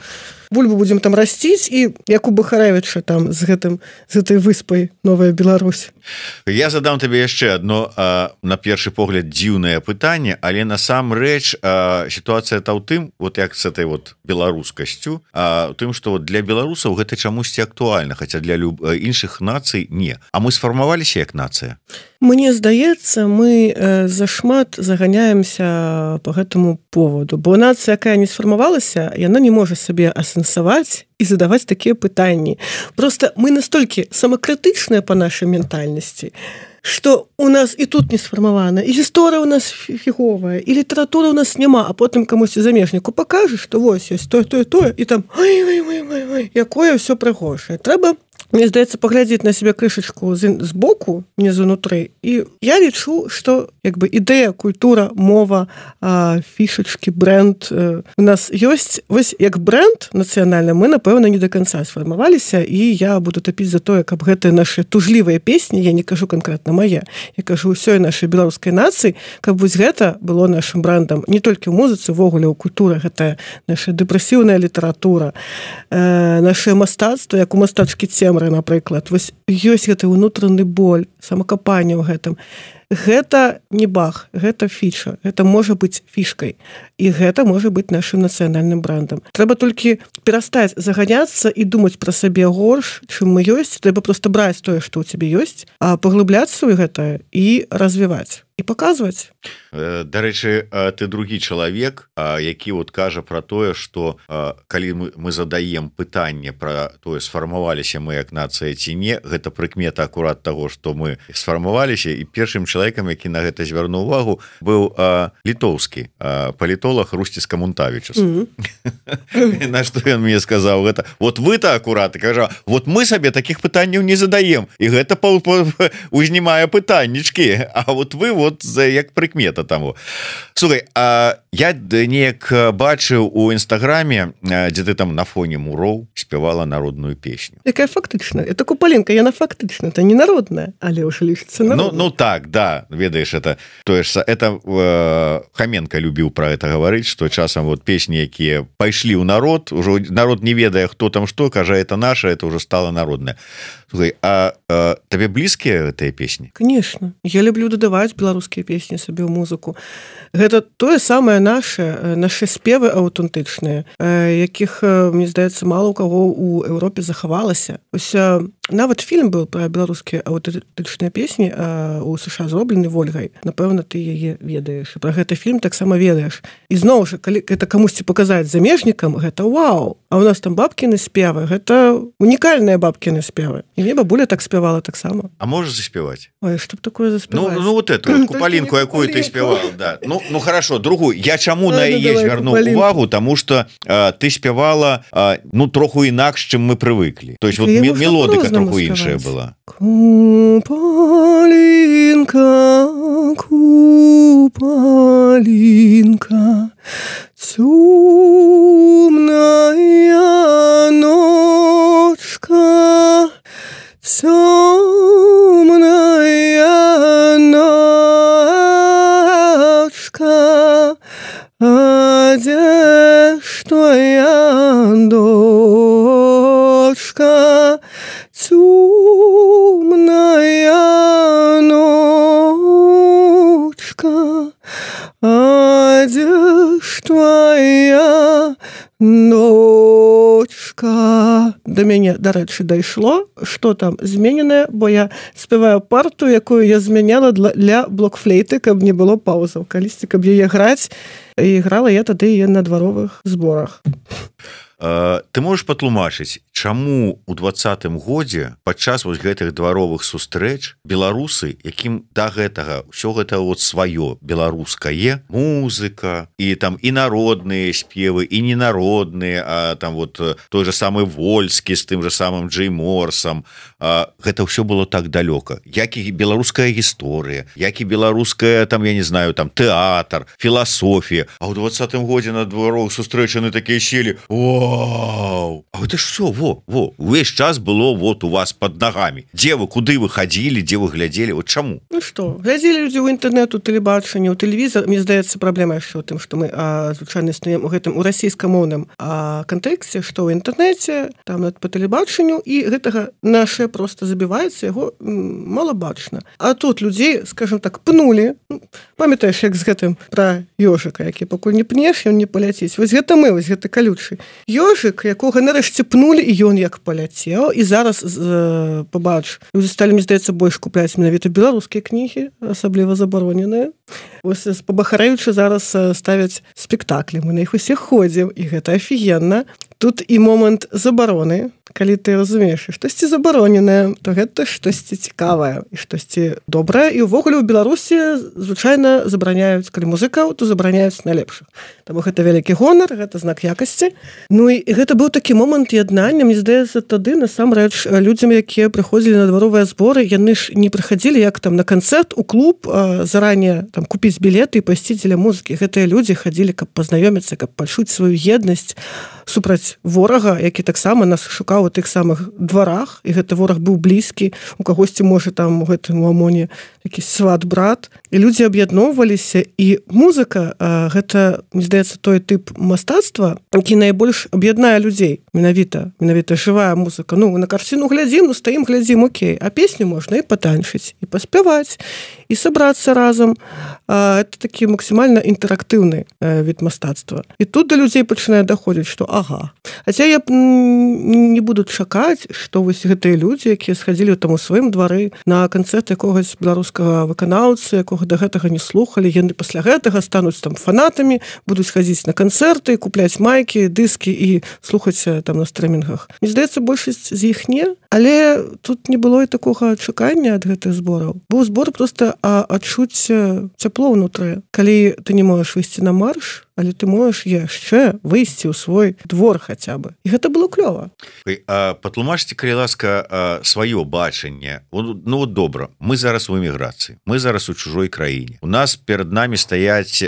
Бульбу будзем там расціць і як у Бахарэвіча там з гэтым з гэтай выспай Новая Беларусь. Я задам табе яшчэ одно а, на першы погляд дзіўнае пытанне, але насамрэч сітуацыя та ў тым, вот як з этой вот беларускасцю, а, тым, што вот для беларусаў гэта чамусьці актуальна, хаця для люб... іншых нацый не. А мы сфармаваліся як нацыя? Мне здаецца, мы э, зашмат заганяемся по гэтаму поводу, бо нацыя, якая не сфармавалася, яна не можа сабе асэнсаваць і задаваць такія пытанні. Просто мы настолькі самакрытычныя па нашай ментальнасці, што у нас і тут не сфармавана, і гісторыя ў нас фіговая, і літаратура ў нас няма, а потым камусьці замежніку пакажаш, што вось ёсць тое, тое, тое, і там ой, ой, ой, ой, ой, якое ўсё прыгожае. Трэба, мне здаецца, паглядзець на сябе крышачку з, з боку, не знутры. І я лічу, што як бы ідэя, культура, мова, а, фішачкі, бренд а, у нас ёсць. Вось як бренд нацыянальны мы, напэўна, не да канца сфармаваліся, і я буду тапіць за тое, каб гэтыя нашы тужлівыя песні, я не кажу канкрэтна мае, я кажу ўсёй нашай беларускай нацыі, каб вось гэта было нашым брендам не толькі ў музыцы, увогуле ў культуры, гэта наша дэпрэсіўная літаратура, э, наше мастацтва, як у мастачкі Цемры, напрыклад, вось ёсць гэты ўнутраны боль, самакапанне ў гэтым. Гэта не бах, гэта фіча, гэта можа быць фішкай, і гэта можа быць нашым нацыянальным брендам. Трэба толькі перастаць заганяцца і думаць пра сабе горш, чым мы ёсць, трэба проста браць тое, што ў цябе ёсць, а паглыбляцца ў гэта і развіваць. І паказваць. Дарэчы, ты другі чалавек, які вот кажа пра тое, што калі мы, мы задаем пытанне пра тое, сфармаваліся мы як нацыя ці не, гэта прыкмета акурат таго, што мы сфармаваліся, і першым чалавекам, які на гэта звярнуў увагу, быў а, літоўскі а, палітолог Русціс Камунтавічус. Mm-hmm. На што ён мне сказаў гэта? Вот вы-то акурат, кажа, вот мы сабе такіх пытанняў не задаем, і гэта узнімае пытаннічкі, а вот вы вот за як прыкмета таму. Слухай, а я неяк бачыў у інстаграме, дзе ты там на фоне муроў спявала народную песню. Якая фактычна? Это Купаленко, яна фактычна, это не народная, але ўжо лічыцца народная. Ну, ну так, да, ведаеш, это тое ж, это э, Хаменка любіў пра гэта гаварыць, што часам вот песні, якія пайшлі ў народ, ужо народ не ведае, хто там што, кажа, это наша, это ўжо стала народная. Слухай, а, а табе блізкія гэтыя песні? Конечно. Я люблю дадаваць беларускія песні сабе ў музыку. Гэта тое самае наше, нашы спевы аўтэнтычныя, якіх, мне здаецца, мала ў каго ў Еўропе захавалася. Ось нават фільм быў пра беларускія аўтэнтычныя песні у США зроблены Вольгай. Напэўна, ты яе ведаеш. Пра гэты фільм таксама ведаеш. І зноў жа, калі гэта камусьці паказаць замежнікам, гэта вау. А ў нас там бабкіны спевы, гэта унікальныя бабкіны спевы. І мне бабуля так спявала таксама. А можаш заспяваць? Ой, што б такое заспяваць? Ну, ну вот эту вот Купалінку, якую ты спявал, да. Ну, ну хорошо, другую. Я чаму на яе звярнуў увагу, таму што а, ты спявала а, ну троху інакш, чым мы прывыклі. То есть вот мелодыка троху іншая была. Купалінка, Купалінка, цёмная ночка, цёмная ночка, а дзе ж твоя дочка, цёмная ночка, а дзе ж твоя дочка. Да мяне, дарэчы, дайшло, што там змененае, бо я спяваю парту, якую я змяняла для, для блокфлейты, каб не было паузаў. Калісьці, каб яе граць, і грала я тады яе на дваровых зборах. ты можаш патлумачыць, чаму у двадцатым годзе падчас вось гэтых дваровых сустрэч беларусы, якім да гэтага ўсё гэта вот сваё беларускае, музыка і там і народныя спевы, і ненародныя, а там вот той же самы Вольскі з тым же самым Джей Морсом, гэта ўсё было так далёка. Як і беларуская гісторыя, як і беларуская там, я не знаю, там тэатр, філасофія. А ў двадцатым годзе на дваровых сустрэчаны такія сели: вау, а гэта ж все, во, во, увесь час было вот у вас под ногами. Дзе вы, куды вы хадзілі, дзе вы глядзелі, вот чаму? Ну што, глядзелі людзі ў інтэрнет, у тэлебачанні, у тэлевізор. Мне здаецца, праблема яшчэ ў тым, што мы а, звычайна існуем у гэтым у расійскамоўным а, кантэксце, што ў інтэрнеце, там по тэлебачанню, і гэтага наше просто забіваецца, яго м, мала бачна. А тут людзей, скажем так, пнулі. Памятаеш, як з гэтым пра ёжыка, які пакуль не пнеш, ён не паляціць. Вось гэта мы, вось гэта калючы ёжык, якога нарэшце пнулі, і ён як паляцеў. І зараз э, побач, людзі сталі, мне здаецца, больш купляць менавіта беларускія кнігі, асабліва забароненыя. Вось пабахарэючы зараз ставяць спектаклі, мы на іх усе ходзім, і гэта афігенна. Тут і момант забароны, калі ты разумееш, штосьці забароненае, то гэта штосьці цікавае і штосьці добрае. І ўвогуле ў Беларусі звычайна забараняюць, калі музыкаў, то забараняюць найлепшых. Таму гэта вялікі гонар, гэта знак якасці. Ну і гэта быў такі момант яднання. Мне здаецца, тады насамрэч людзям, якія прыходзілі на дваровыя зборы, яны ж не прыходзілі як там на канцэрт у клуб, заранее там купіць білеты і пайсці дзеля музыкі. Гэтыя людзі хадзілі, каб пазнаёміцца, каб пачуць сваю еднасць супраць ворага, які таксама нас шукаў у тых самых дварах, і гэты вораг быў блізкі, у кагосьці, можа, там у гэтым амоне такі сват-брат. І людзі аб'ядноўваліся, і музыка, а, гэта, мне здаецца, той тып мастацтва, які найбольш аб'яднае людзей. Менавіта, менавіта жывая музыка. Ну, на карціну глядзім, ну, стаім, глядзім, окей. А песню можна і патанчыць, і паспяваць, і сабрацца разам. А, это такі максімальна інтэрактыўны а, від мастацтва. І тут да людзей пачынае даходзіць, што ага. Хаця я б не буду чакаць, што вось гэтыя людзі, якія схадзілі там у сваім двары на канцэрт якогось беларускага выканаўцы, якога да гэтага не слухалі, яны пасля гэтага стануць там фанатамі, будуць хадзіць на канцэрты, купляць майкі, дыскі і слухаць там на стрымінгах. Мне здаецца, большасць з іх не, але тут не было і такога чакання ад гэтых збораў. Быў збор проста а, адчуць цяпло ўнутры. Калі ты не можаш выйсці на марш, але ты можаш яшчэ выйсці ў свой двор хаця бы. І гэта было клёва. Патлумачце, калі ласка, сваё бачанне. Ну вот добра, мы зараз у эміграцыі, мы зараз у чужой краіне. У нас перад намі стаяць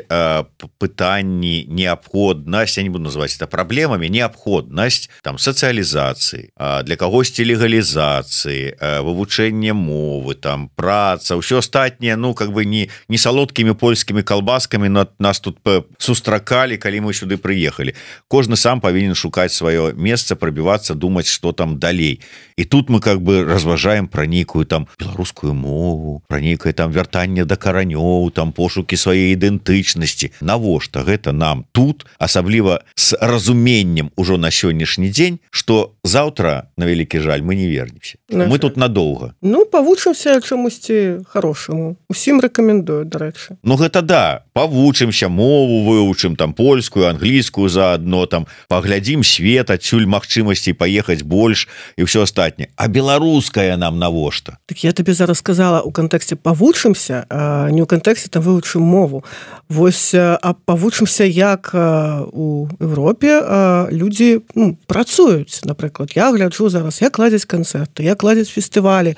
пытанні, неабходнасць, я не буду называць это праблемамі, неабходнасць там сацыялізацыі, для кагосьці легалізацыі, вывучэнне мовы, там праца, ўсё астатняе, ну как бы не, не салодкімі польскімі калбаскамі нас тут сустракалі, калі мы сюды прыехалі. Кожны сам павінен шукаць сваё месца, прабівацца, думаць, што там далей. І тут мы как бы разважаем пра нейкую там беларускую мову, пра нейкае там вяртанне да каранёў, там пошукі сваёй ідэнтычнасці. Навошта гэта нам тут, асабліва з разуменнем ужо на сённяшні дзень, што заўтра, на вялікі жаль, мы не вернемся. Мы тут надоўга. Ну, павучымся чамусьці хорошаму. Усім рэкамендую, дарэчы. Ну гэта да, павучымся, мову вывучым, там польскую, англійскую заадно, там паглядзім свет, адсюль магчымасцей паехаць больш і ўсё астатняе. А беларуская нам навошта? Так я табе зараз сказала ў кантэксце павучымся, а не ў кантэксце там вывучым мову. Вось, а павучымся, як у Еўропе людзі ну, працуюць. Напрыклад, я гляджу зараз, як ладзяць канцэрты, як ладзяць фестывалі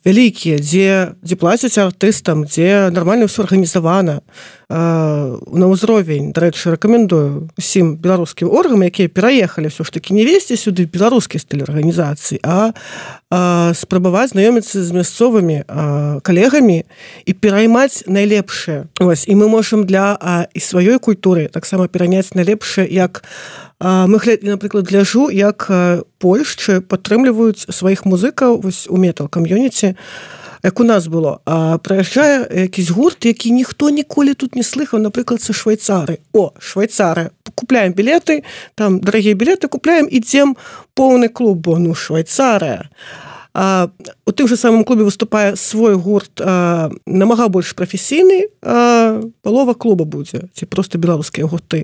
вялікія, дзе, дзе плацяць артыстам, дзе нармальна ўсё арганізавана на ўзровень. Дарэчы, рэкамендую усім беларускім органам, якія пераехалі ўсё ж такі не весці сюды беларускі стыль арганізацыі, а, а спрабаваць знаёміцца з мясцовымі а, калегамі і пераймаць найлепшае. Ось, і мы можам для а, і сваёй культуры таксама пераняць найлепшае, як а, мы, напрыклад, гляжу, як Польшчы падтрымліваюць сваіх музыкаў вось у метал-кам'юніці, як у нас было. А прыязджае якісь гурт, які ніхто ніколі тут не слыхаў, напрыклад, са швайцары. О, швайцары. Купляем білеты, там дарагія білеты купляем, ідзем поўны клуб, бо ну швайцарыя. А, у тым же самым клубе выступае свой гурт а, намага больш прафесійны, а, палова клуба будзе, ці проста беларускія гурты.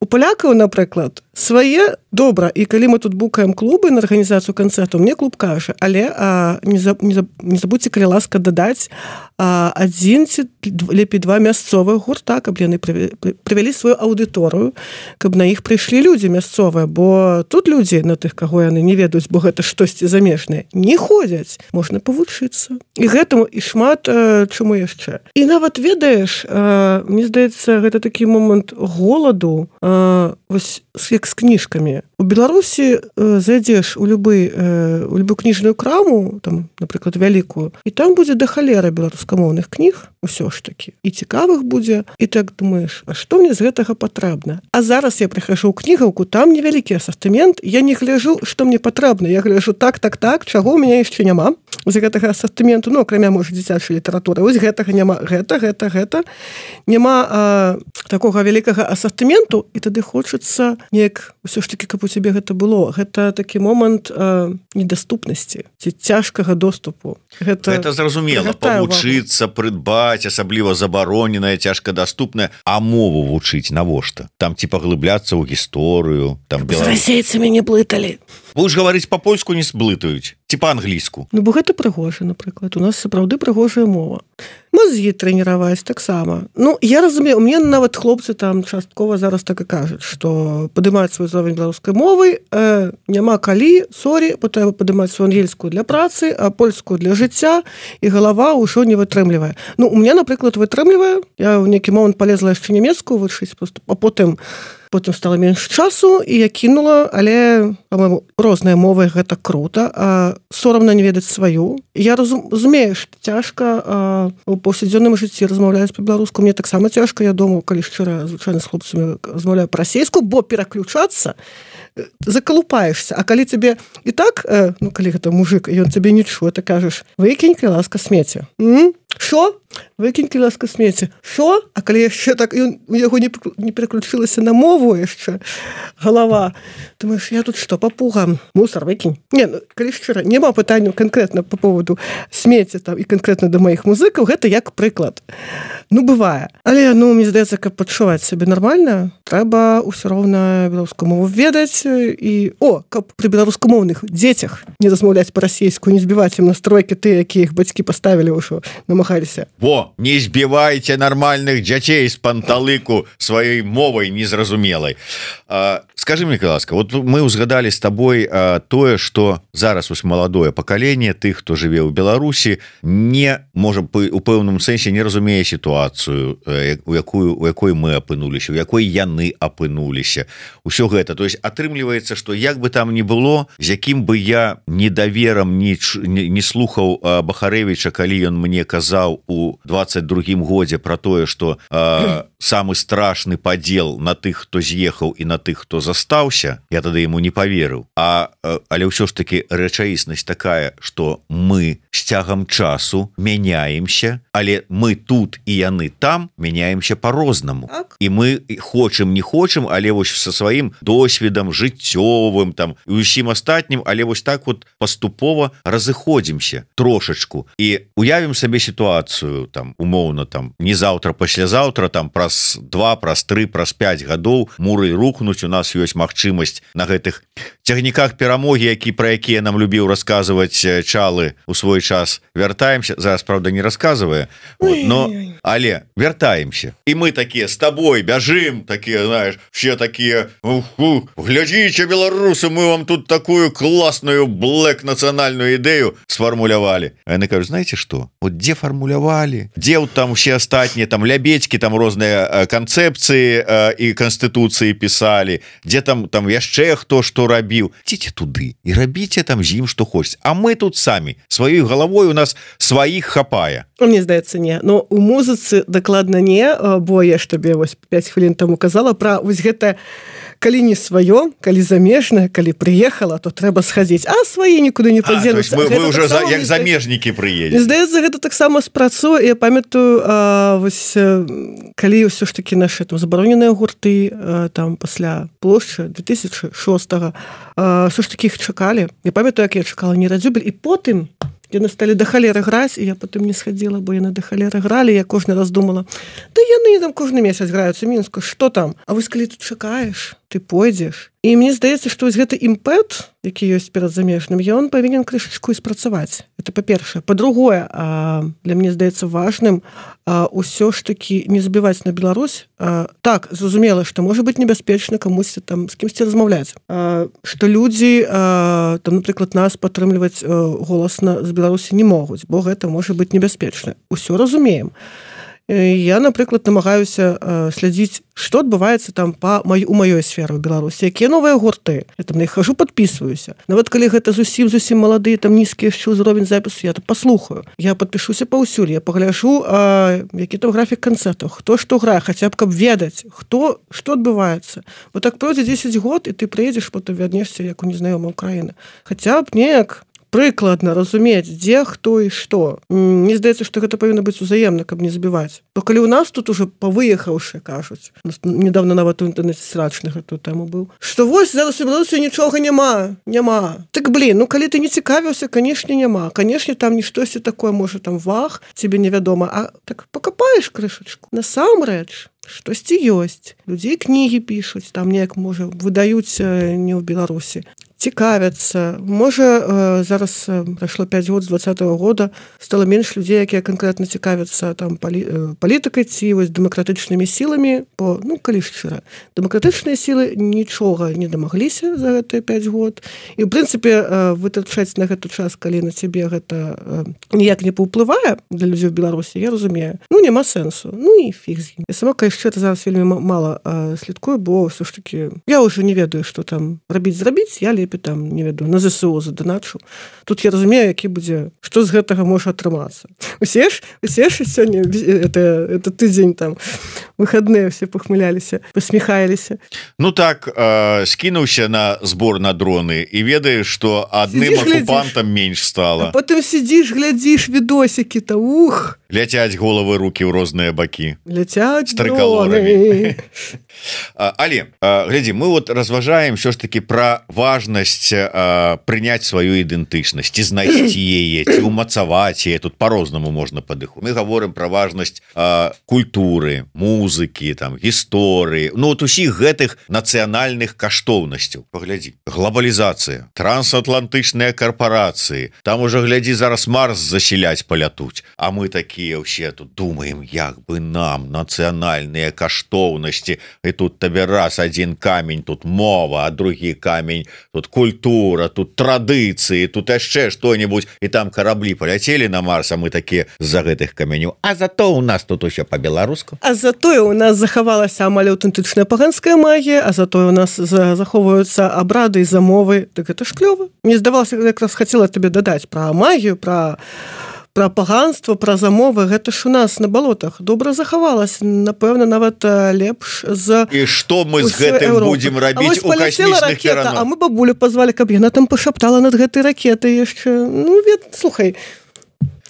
у палякаў, напрыклад, свае добра, і калі мы тут букаем клубы на арганізацыю канцэртаў, мне клуб кажа, але а, не, за, не, за, не забудьце, калі ласка, дадаць а, адзін ці лепей два мясцовых гурта, каб яны прывялі сваю аўдыторыю, каб на іх прыйшлі людзі мясцовыя, бо тут людзі, на тых, каго яны не ведаюць, бо гэта штосьці замежнае, не ходзяць, можна павучыцца. І гэтаму і шмат а, чаму яшчэ. І нават ведаеш, а, мне здаецца, гэта такі момант голаду, а, вось як з кніжкамі. У Беларусі э, зайдзеш у любы э, у любую кніжную краму, там, напрыклад, вялікую, і там будзе да халеры беларускамоўных кніг, усё ж такі. І цікавых будзе, і так думаеш, а што мне з гэтага патрэбна? А зараз я прыхожу ў кнігаўку, там невялікі асартымент, я не гляжу, што мне патрэбна. Я гляжу так, так, так, чаго ў мяне яшчэ няма. З гэтага асартыменту, ну, акрамя, можа, дзіцячай літаратуры. Вось гэтага няма, гэта, гэта, гэта. Няма а, такога вялікага асартыменту, і тады хочацца неяк усё ж такі, каб у цябе гэта было. Гэта такі момант а, недаступнасці ці цяжкага доступу. Гэта, гэта зразумела, павучыцца, прыдбаць, асабліва забароненая, цяжкадаступная, а мову вучыць навошта? Там ці паглыбляцца ў гісторыю, там беларус... З расейцамі не блыталі. Будеш гаварыць па-польску, не сблытаюць, ці па-англійску. Ну, бо гэта прыгожа, напрыклад. У нас сапраўды прыгожая мова. Мазгі трэніраваць таксама. Ну, я разумею, у мяне нават хлопцы там часткова зараз так і кажуць, што падымаць свой ўзровень беларускай мовы э, няма калі, сорі, трэба падымаць свою ангельскую для працы, а польскую для жыцця, і галава ўжо не вытрымлівае. Ну, у мяне, напрыклад, вытрымлівае. Я ў нейкі момант палезла яшчэ нямецкую вучыць, просто, а потым потым стала менш часу, і я кінула, але, па-моему, розныя мовы гэта крута, а сорамна не ведаць сваю. Я разумею, што цяжка а, у паўсядзённым жыцці размаўляць па-беларуску. Мне таксама цяжка, я думаю, калі шчыра, звычайна з хлопцамі размаўляю па-расейску, бо пераключацца закалупаешься. А калі тебе і так, э, ну, калі гэта мужик, і ён тебе не чуе, ты кажаш, выкінь, калі ласка, смецце. М? Що? Выкінь, калі ласка, смецце. Що? А калі яшчэ так, ён, у яго не, не пераключылася на мову яшчэ галава, думаешь, я тут што, папуга? Мусор выкінь. Не, ну, калі шчыра, няма пытанняў канкрэтна по поводу смецця там, і канкрэтна да маіх музыкаў, гэта як прыклад. Ну, бывае. Але, ну, мне здаецца, каб пачуваць сябе нармальна, трэба ўсё роўна беларускую мову ведаць, і, о, каб пры беларускамоўных дзецях не размаўляць па-расейску, не збіваць ім настройкі ты, якія іх бацькі паставілі ўжо, намагаліся. Во, не збівайце нармальных дзяцей з панталыку сваёй мовай незразумелай. А, скажи мне, ласка, вот мы узгадалі з табой а, тое, што зараз ось маладое пакаленне тых, хто жыве ў Беларусі, не, можа, у пэўным сэнсе не разумее сітуацыю, у якую, у якой мы апынуліся, у якой яны апынуліся. Усё гэта. То есть атрымліваецца, што як бы там ні было, з якім бы я недаверам не, не, не слухаў Бахарэвіча, калі ён мне казаў у двадцать другім годзе про тое, што э, самы страшны падзел на тых, хто з'ехаў, і на тых, хто застаўся, я тады яму не паверыў. А, э, але ўсё ж таки рэчаіснасць такая, што мы з цягам часу мяняемся, але мы тут і яны там мяняемся по-рознаму. І мы хочам, не хочам, але вось со сваім досведам жыццёвым там і усім астатнім, але вось так вот паступова разыходзімся трошачку і уявім сабе сітуацыю там умоўна там не заўтра, паслязаўтра, там праз два, праз тры, праз пяць гадоў муры рухнуць, у нас ёсць магчымасць на гэтых цягніках перамогі, які пра якія нам любіў расказваць Чалы у свой час, вяртаемся, зараз правда не расказвае, вот, но але вяртаемся, і мы такія з табой бяжым, такія, знаешь, все такія, глядзіце, беларусы, мы вам тут такую класную блэк нацыянальную ідэю сфармулявалі. А яны кажуць, знаете что, вот дзе фармулявалі, дзе там усе астатнія там лябедзькі, там розныя канцэпцыі і канстытуцыі пісалі, дзе там там яшчэ хто што рабіў, ідзіце туды і рабіце там з ім што хочаце, а мы тут самі сваёй галавой, у нас сваіх хапае. Мне здаецца, не, но у музыцы дакладна не, бо я ж табе вось пяць хвілін таму казала пра вось гэта, калі не сваё, калі замежнае, калі прыехала, то трэба схадзіць, а свае нікуды не падзенуцца. Мы, мы ўжо за, як замежнікі прыедзем. Здаецца, гэта таксама спрацуе. Я памятаю, а, вось, калі ўсё ж такі нашы там забароненыя гурты, а, там пасля плошчы две тысячи шостага, ўсё ж такі іх чакалі. Я памятаю, як я чакала Нерадзюбель, і потым яны сталі да халеры граць, і я потым не схадзіла, бо яны да халеры гралі, я кожны раз думала, да яны там кожны месяц граюцца Мінску, што там? А вось калі тут чакаеш, ты пойдзеш. І мне здаецца, што вось гэты імпэт, які ёсць перад замежным, ён павінен крышачку і спрацаваць. Это па-першае. Па-другое, для мне здаецца важным усё ж такі не забіваць на Беларусь. Так, зразумела, што можа быць небяспечна камусьці там з кімсьці размаўляць. Што людзі, там, напрыклад, нас падтрымліваць голасна з Беларусі не могуць, бо гэта можа быць небяспечна. Усё разумеем. Я, напрыклад, намагаюся слядзіць, што адбываецца там па май, у маёй сферы ў Беларусі, якія новыя гурты. Я там на іх хожу, падпісваюся. Нават калі гэта зусім-зусім маладыя, там нізкі яшчэ ўзровень запісу, я там паслухаю. Я падпішуся паўсюль, я пагляджу, а, які там графік канцэртаў, хто што грае, хаця б каб ведаць, хто, што адбываецца. Бо так пройдзе дзесяць год, і ты прыедзеш, потым вярнешся, як у незнаёмая ўкраіна. Хаця б неяк прыкладна разумець, дзе, хто і што. Мне здаецца, што гэта павінна быць узаемна, каб не забіваць. То калі ў нас тут уже павыехаўшы, кажуць, недавно нават у інтэрнэце срачны гэтую тэму быў, што вось зараз у Беларусі нічога няма, няма. Так, блин, ну калі ты не цікавіўся, канешне, няма. Канешне, там ніштосьці такое, можа, там вах, цябе невядома, а так пакапаеш крышачку. Насамрэч, штосьці ёсць. Людзей кнігі пішуць, там неяк, можа, выдаюць не ў Беларусі. Цікавяцца. Можа, зараз прайшло пяць год з двадцатага года, стала менш людзей, якія канкрэтна цікавяцца там палі, палітыкай ці вось дэмакратычнымі сіламі, бо, ну, калі шчыра, дэмакратычныя сілы нічога не дамагліся за гэтыя пяць год. І, ў прынцыпе, вытрачаць на гэты час, калі на цябе гэта ніяк не паўплывае для людзей ў Беларусі, я разумею. Ну, няма сэнсу. Ну, і фіг з ім. Я сама, яшчэ зараз вельмі мала слідкую, бо ўсё ж такі я ўжо не ведаю, што там рабіць-зрабіць, я лепей там, не веду, на ЗСУ заданачу. Тут я разумею, які будзе, што з гэтага можа атрымацца. Усе ж, усе ж сёння, это, это тыдзень там, выхадныя все пахмыляліся, пасміхаліся. Ну так, э, скінуўся на збор на дроны і ведаеш, што адным акупантам менш стала. А потым сидзіш, глядзіш відосікі-то, ух! Ляцяць головы, рукі ў розныя бакі. Ляцяць дроны. Але, глядзі, мы вот разважаем ўсё ж таки пра важнасць прыняць сваю ідэнтычнасць, ці знайсці яе, ці умацаваць яе, тут по-рознаму можна падыху. Мы гаворым пра важнасць культуры, музыкі, там, гісторыі, ну вот усіх гэтых нацыянальных каштоўнасцяў. Паглядзі, глобалізацыя, трансатлантычныя карпорацыі, там уже, глядзі, зараз Марс засяляць палятуць, а мы такія ўсе тут думаем, як бы нам нацыянальныя каштоўнасці, і тут табе раз адзін камень, тут мова, а другі камень, тут культура, тут традыцыі, тут яшчэ што-нибудь, і там караблі паляцелі на Марс, а мы такія з-за гэтых каменёў. А зато у нас тут усё па-беларуску. А затое у нас захавалася амаль аўтэнтычная паганская магія, а затое у нас захоўваюцца абрады і замовы. Так гэта ж клёва. Мне здавалася, якраз хацела табе дадаць пра магію, пра пра паганство, пра замовы, гэта ж у нас на балотах добра захавалась, напэўна, нават лепш за і што мы з гэтым будзем рабіць у касмічных пераносах? А мы бабулю пазвалі, каб яна там пашаптала над гэтай ракетай яшчэ. Ну, вет, слухай,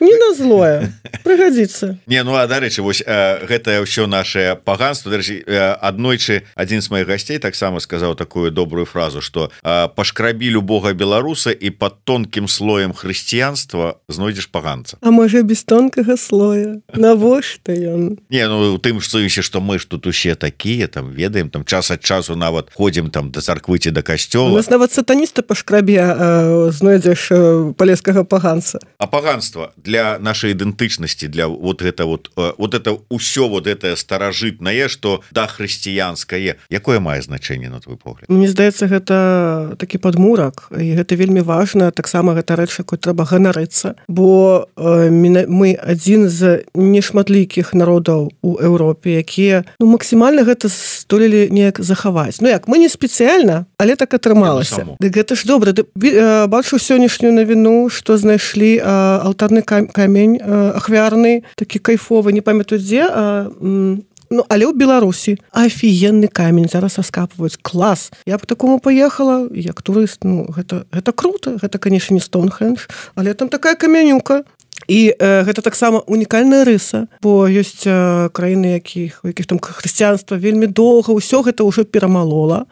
не на злое, прыгадзіцца. Не, ну а дарэчы, вось э, гэтае ўсё наше паганство. Дарэчы, э, аднойчы адзін з маіх гасцей таксама сказаў такую добрую фразу, што э, пашкрабі любога беларуса і пад тонкім слоем хрысціянства знойдзеш паганца. А можа без тонкага слоя? Навошта ён? Не, ну тым сэнсе, што мы ж тут усе такія, там ведаем, там час ад часу нават ходзім там да царквы ці да касцёла. У нас нават сатаніста па шкрабе э, знойдзеш э, палескага паганца. А паганства для нашей ідэнтычнасці, для вот это вот вот это ўсё вот это старажытнае, што да хрысціянскае, якое мае значэнне на твой погляд? Мне здаецца, гэта такі падмурак, і гэта вельмі важна, таксама гэта рэч, якой трэба ганарыцца, бо э, мы адзін з нешматлікіх народаў у Еўропе, якія ну, максімальна гэта здолелі неяк захаваць. Ну як, мы не спецыяльна, але так атрымалася. Дык гэта ж добра. Э, бачу сённяшнюю навіну, што знайшлі э, алтарны камень ахвярны, такі кайфовы, не памятаю дзе, а, ну, але ў Беларусі афігенны камень зараз раскапваюць. Клас. Я б такому паехала, як турыст, ну, гэта, гэта круто, гэта, канешне, не Стоунхендж, але там такая камянюка. і э, гэта таксама унікальная рыса, бо ёсць э, краіны, якіх у якіх там хрысціянства вельмі доўга ўсё гэта ўжо перамалола,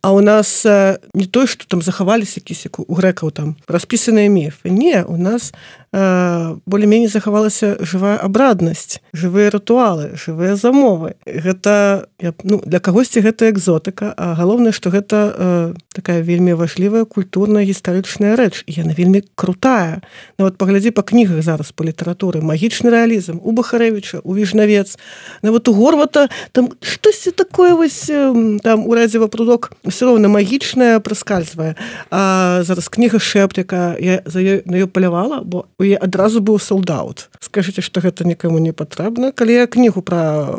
а у нас э, не той, што там захаваліся якісь у грэкаў там распісаныя міфы, не, у нас э, болей-меней захавалася жывая абраднасць, жывыя рытуалы, жывыя замовы. Гэта ну, для кагосьці гэта экзотыка, а галоўнае, што гэта э, такая вельмі важлівая культурная гістарычная рэч, і яна вельмі крутая. Нават паглядзі па кнігах зараз па літаратуры, магічны рэалізм у Бахарэвіча, у Віжнавец, нават у Горвата там штосьці такое вось там у Радзіва прудок ўсё роўна магічнае праскальзвае. А зараз кніга Шэпт, якая я за ёй на ёй палявала, бо у яе адразу быў солдаут. Скажыце, што гэта нікому не патрэбна. Калі я кнігу пра,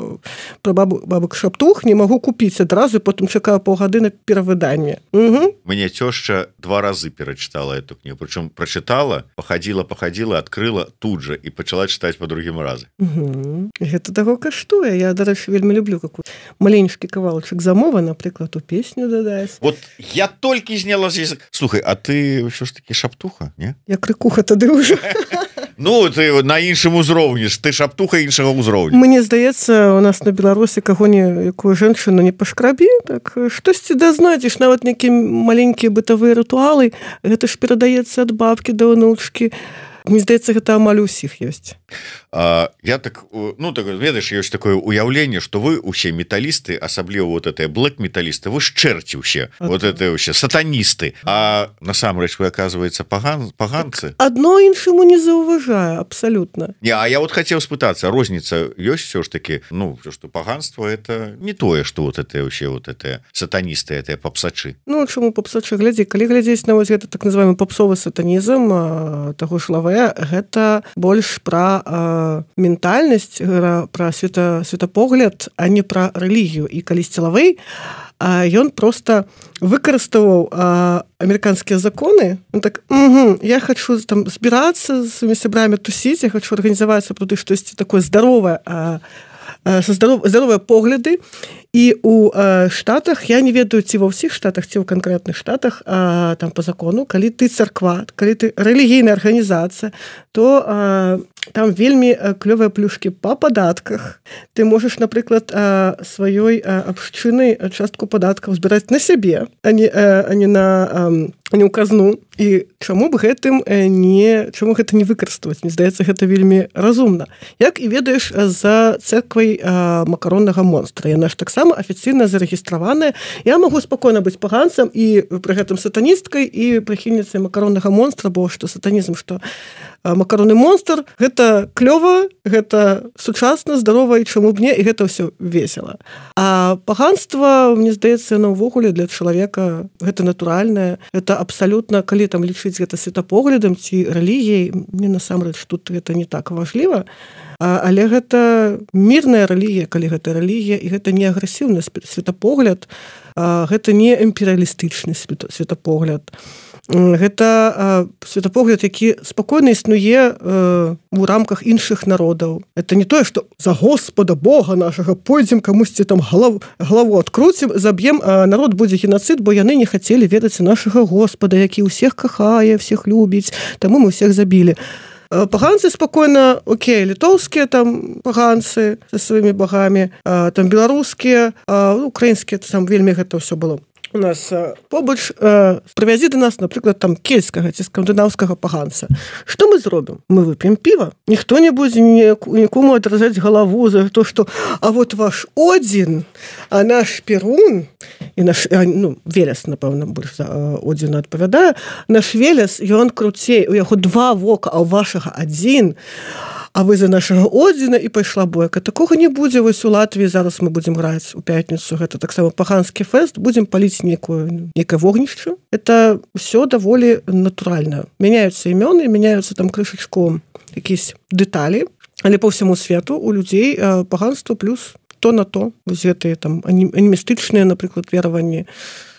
пра бабу, бабак Шаптух не магу купіць адразу, потым чакаю паўгады на перавыданне. Угу. Мне цёшча два разы перачытала эту кнігу, прычым прачытала, пахадзіла, пахадзіла, адкрыла тут жа і пачала чытаць па другім разе. Угу. Гэта таго каштуе. Я, дарэчы, вельмі люблю какую маленькі кавалачак замовы, напрыклад, у песню дадаць. Вот я толькі зняла з язык. Слухай, а ты ўсё ж такі Шаптуха, не? Я крыкуха тады ўжо. Ну, ты на іншым узроўні ж, ты Шаптуха іншага ўзроўня. Мне здаецца, у нас на Беларусі каго-не, якую жанчыну не пашкрабі, так штосьці да знайдзеш, нават нейкія маленькія бытавыя рытуалы, гэта ж перадаецца ад бабкі да ўнучкі. Мне здаецца, гэта амаль усіх ёсць. А, я так, ну, так, ведаеш, ёсць такое уяўленне, што вы усе металісты, асабліва вот это блэк-металісты, вы ж чэрці ўсе, а вот это ўсе сатаністы. А насамрэч вы, аказваецца, паган, паганцы? Адно іншаму не заўважае, абсалютна. Не, а я вот хацеў спытацца, розніца ёсць ўсё ж такі, ну, што паганство это не тое, што вот это ўсе вот это сатаністы, это папсачы. Ну, чаму папсачы? Глядзі, калі глядзець на вось гэта так называемый папсовы сатанізм, таго ж Лавэ, гэта больш пра э, ментальнасць, пра света, светапогляд, а не пра рэлігію. І калісьці Лавэй, ён проста выкарыставаў амерыканскія законы. Он так, угу, я хочу там збірацца з сваімі сябрамі тусіць, я хочу арганізаваць сапраўды штосьці такое здаровае, а, а, здаров, здаровыя погляды. І у э, Штатах, я не ведаю, ці ва ўсіх штатах, ці ў канкрэтных штатах, э, там по закону, калі ты царква, калі ты рэлігійная арганізацыя, то э, там вельмі клёвыя плюшкі па падатках. Ты можаш, напрыклад, э, сваёй э, абшчынай частку падаткаў збіраць на сябе, а не, э, а не на э, а не ў казну. І чаму б гэтым не, чаму гэта не выкарыставаць? Мне здаецца, гэта вельмі разумна. Як і ведаеш, за церквай э, макароннага монстра. Яна ж таксама афіцыйна зарэгістраваная. Я магу спакойна быць паганцам і пры гэтым сатаністкай і прыхільніцай макароннага монстра, бо што сатанізм, што макаронны монстр, гэта клёва, гэта сучасна, здарова, і чаму б не, і гэта ўсё весела. А паганства, мне здаецца, яно ўвогуле для чалавека гэта натуральнае, гэта абсалютна, калі там лічыць гэта светапоглядам ці рэлігіяй, мне насамрэч тут гэта не так важліва, а, але гэта мірная рэлігія, калі гэта рэлігія, і гэта не агрэсіўны светапогляд, а, гэта не імперыялістычны светапогляд. Гэта э, светапогляд, які спакойна існуе э, у рамках іншых народаў. Это не тое, што за Господа Бога нашага пойдзем камусьці там галаву, галаву адкруцім, заб'ем, а народ будзе геноцид, бо яны не хацелі ведаць нашага Господа, які ўсіх кахае, всіх любіць, таму мы ўсіх забілі. Паганцы спакойна, окей, літоўскія там паганцы са сваімі багамі, а, там беларускія, а, украінскія, там вельмі гэта ўсё было. У нас э, побач э, прывязі да нас, напрыклад, там кельцкага ці скандынаўскага паганца. Што мы зробім? Мы вып'ем піва. Ніхто не будзе нікому адразаць галаву за то, што а вот ваш Одзін, а наш Перун, і наш, а, ну, Велес, напэўна, больш за э, Одзіна адпавядае, наш Велес, ён круцей, у яго два вока, а ў вашага адзін, а вы за нашага Одзіна, і пайшла бойка. Такога не будзе. Вось у Латвіі зараз мы будзем граць у пятніцу. Гэта таксама паганскі фэст. Будзем паліць некую, некае вогнішча. Это ўсё даволі натуральна. Мяняюцца імёны, мяняюцца там крышачку якісь дэталі, але по ўсяму свету у людзей э, паганства плюс то на то. Вось гэтыя там анімістычныя, напрыклад, вераванні.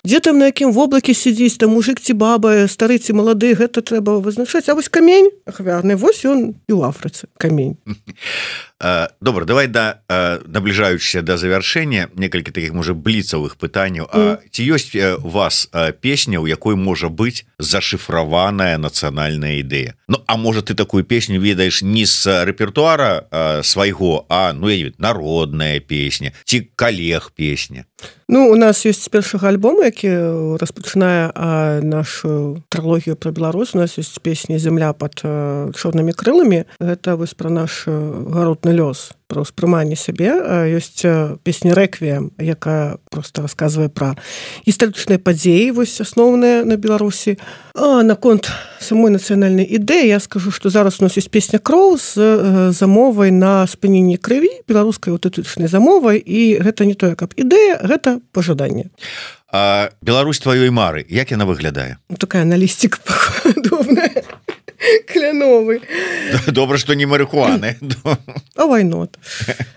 Дзе там на якім воблаке сидзіць, там мужик ці баба, стары ці малады, гэта трэба вызначаць. А вось камень ахвярны, вось ён і ў Афрыцы камень. Добра, давай да набліжаючыся да завяршэння некалькі такіх можа бліцавых пытанняў. А mm. ці ёсць у вас песня, у якой можа быць зашыфраваная нацыянальная ідэя? Ну а можа ты такую песню ведаеш не з рэпертуара свайго, а ну я не ведаю, народная песня ці калег песня? Ну, у нас ёсць з першага альбома, які распачынае нашу трылогію пра Беларусь. У нас ёсць песня «Земля пад чорнымі крыламі». Гэта вось пра наш гаротны лёс, пра ўспрыманне сябе. Ёсць песня «Рэквіем», якая проста расказвае пра гістарычныя падзеі, вось асноўныя на Беларусі. А наконт самой нацыянальнай ідэі я скажу, што зараз у нас ёсць песня «Кроў» з замовай на спыненне крыві, беларускай аўтэнтычнай замовай, і гэта не тое, каб ідэя, гэта пажаданне. А Беларусь тваёй мары, як яна выглядае? Ну, такая на лістик падобная, кляновы. Добра, што не марыхуаны. А why not?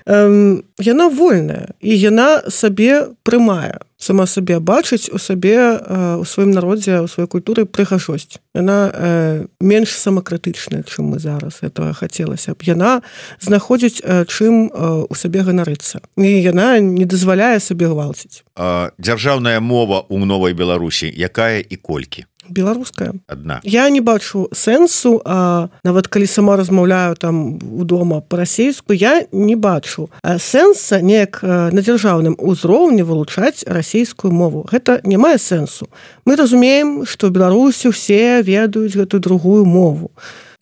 Эм, яна вольная, і яна сабе прымае. Сама сабе бачыць у сабе, у сваім народзе, у сваёй культуры прыгажосць. Яна э, менш самакрытычная, чым мы зараз этого хацелася б. Яна знаходзіць, э, чым э, у сабе ганарыцца. І яна не дазваляе сабе гвалціць. А, дзяржаўная мова ў новай Беларусі якая і колькі? Беларуская. Адна. Я не бачу сэнсу, а нават калі сама размаўляю там удома па-расейску, я не бачу сэнса неяк на дзяржаўным узроўні вылучаць расейскую мову. Гэта не мае сэнсу. Мы разумеем, што ў Беларусі ўсе ведаюць гэтую другую мову.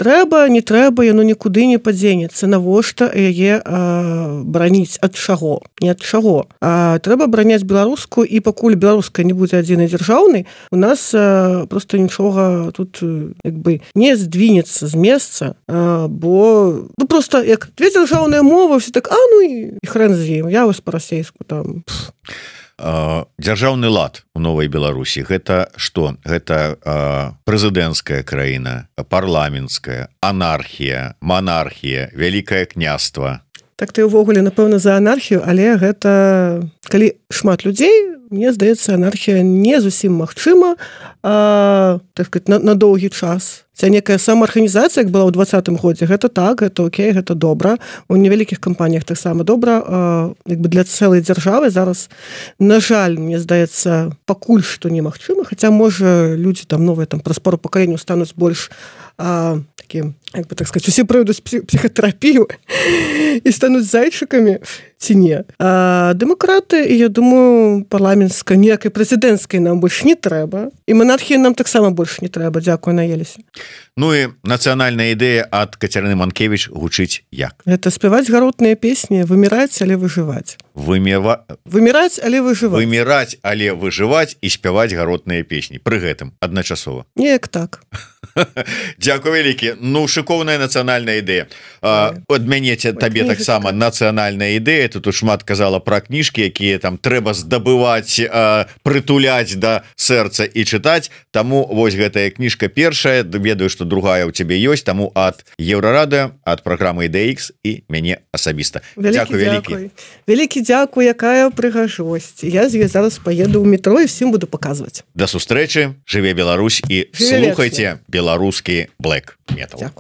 Трэба, не трэба, яно нікуды не падзенецца. Навошта яе а, браніць? Ад чаго? Не ад чаго. А, трэба браняць беларускую, і пакуль беларуская не будзе адзінай дзяржаўнай, у нас а, проста нічога тут як бы не здвінецца з месца, а, бо ну проста як две дзяржаўныя мовы, все так, а ну і, і хрэн з ім, я вось па-расейску там... Пф. Дзяржаўны лад у новай Беларусі гэта што? Гэта прэзідэнцкая краіна, парламенцкая, анархія, манархія, вялікае княства. Так ты ўвогуле напэўна за анархію, але гэта калі шмат людзей, мне здаецца, анархія не зусім магчыма, а, так сказать, на, на доўгі час. Ця некая самаарганізацыя, як была ў двадцатым годзе, гэта так, гэта окей, гэта добра. У невялікіх кампаніях таксама добра, а, як бы для цэлай дзяржавы зараз, на жаль, мне здаецца, пакуль што немагчыма, хаця можа людзі там новыя там праз пару пакаленняў стануць больш а, такім, як бы так сказать, усе пройдуць псіхатэрапію і стануць зайчыкамі ці не. А дэмакраты, і я думаю, парламенцкай, ніякай прэзідэнцкай нам больш не трэба, і манархіі нам таксама больш не трэба, дзякуй, наеліся. Ну і нацыянальная ідэя ад Кацярыны Манкевіч гучыць як? Гэта спяваць гаротныя песні, выміраць, але выжываць. Вымева... Выміраць, але выжываць. Выміраць, але выжываць і спяваць гаротныя песні. Пры гэтым адначасова. Неяк так. Дзякуй вялікі. Ну, шыкоўная нацыянальная ідэя. Ад мяне табе таксама нацыянальная ідэя. Ты тут шмат казала пра кніжкі, якія там трэба здабываць, прытуляць да сэрца і чытаць. Таму вось гэтая кніжка першая. Ведаю, што другая ў цябе ёсць. Таму ад Еўрарадыё, ад праграмы Ідэя Ікс і мяне асабіста. Дзякуй вялікі. Вялікі дзякуй, якая прыгажосць. Я з ёй зараз паеду ў метро і всім буду паказваць. Да сустрэчы. Жыве Беларусь і слухайце беларускі блэк метал.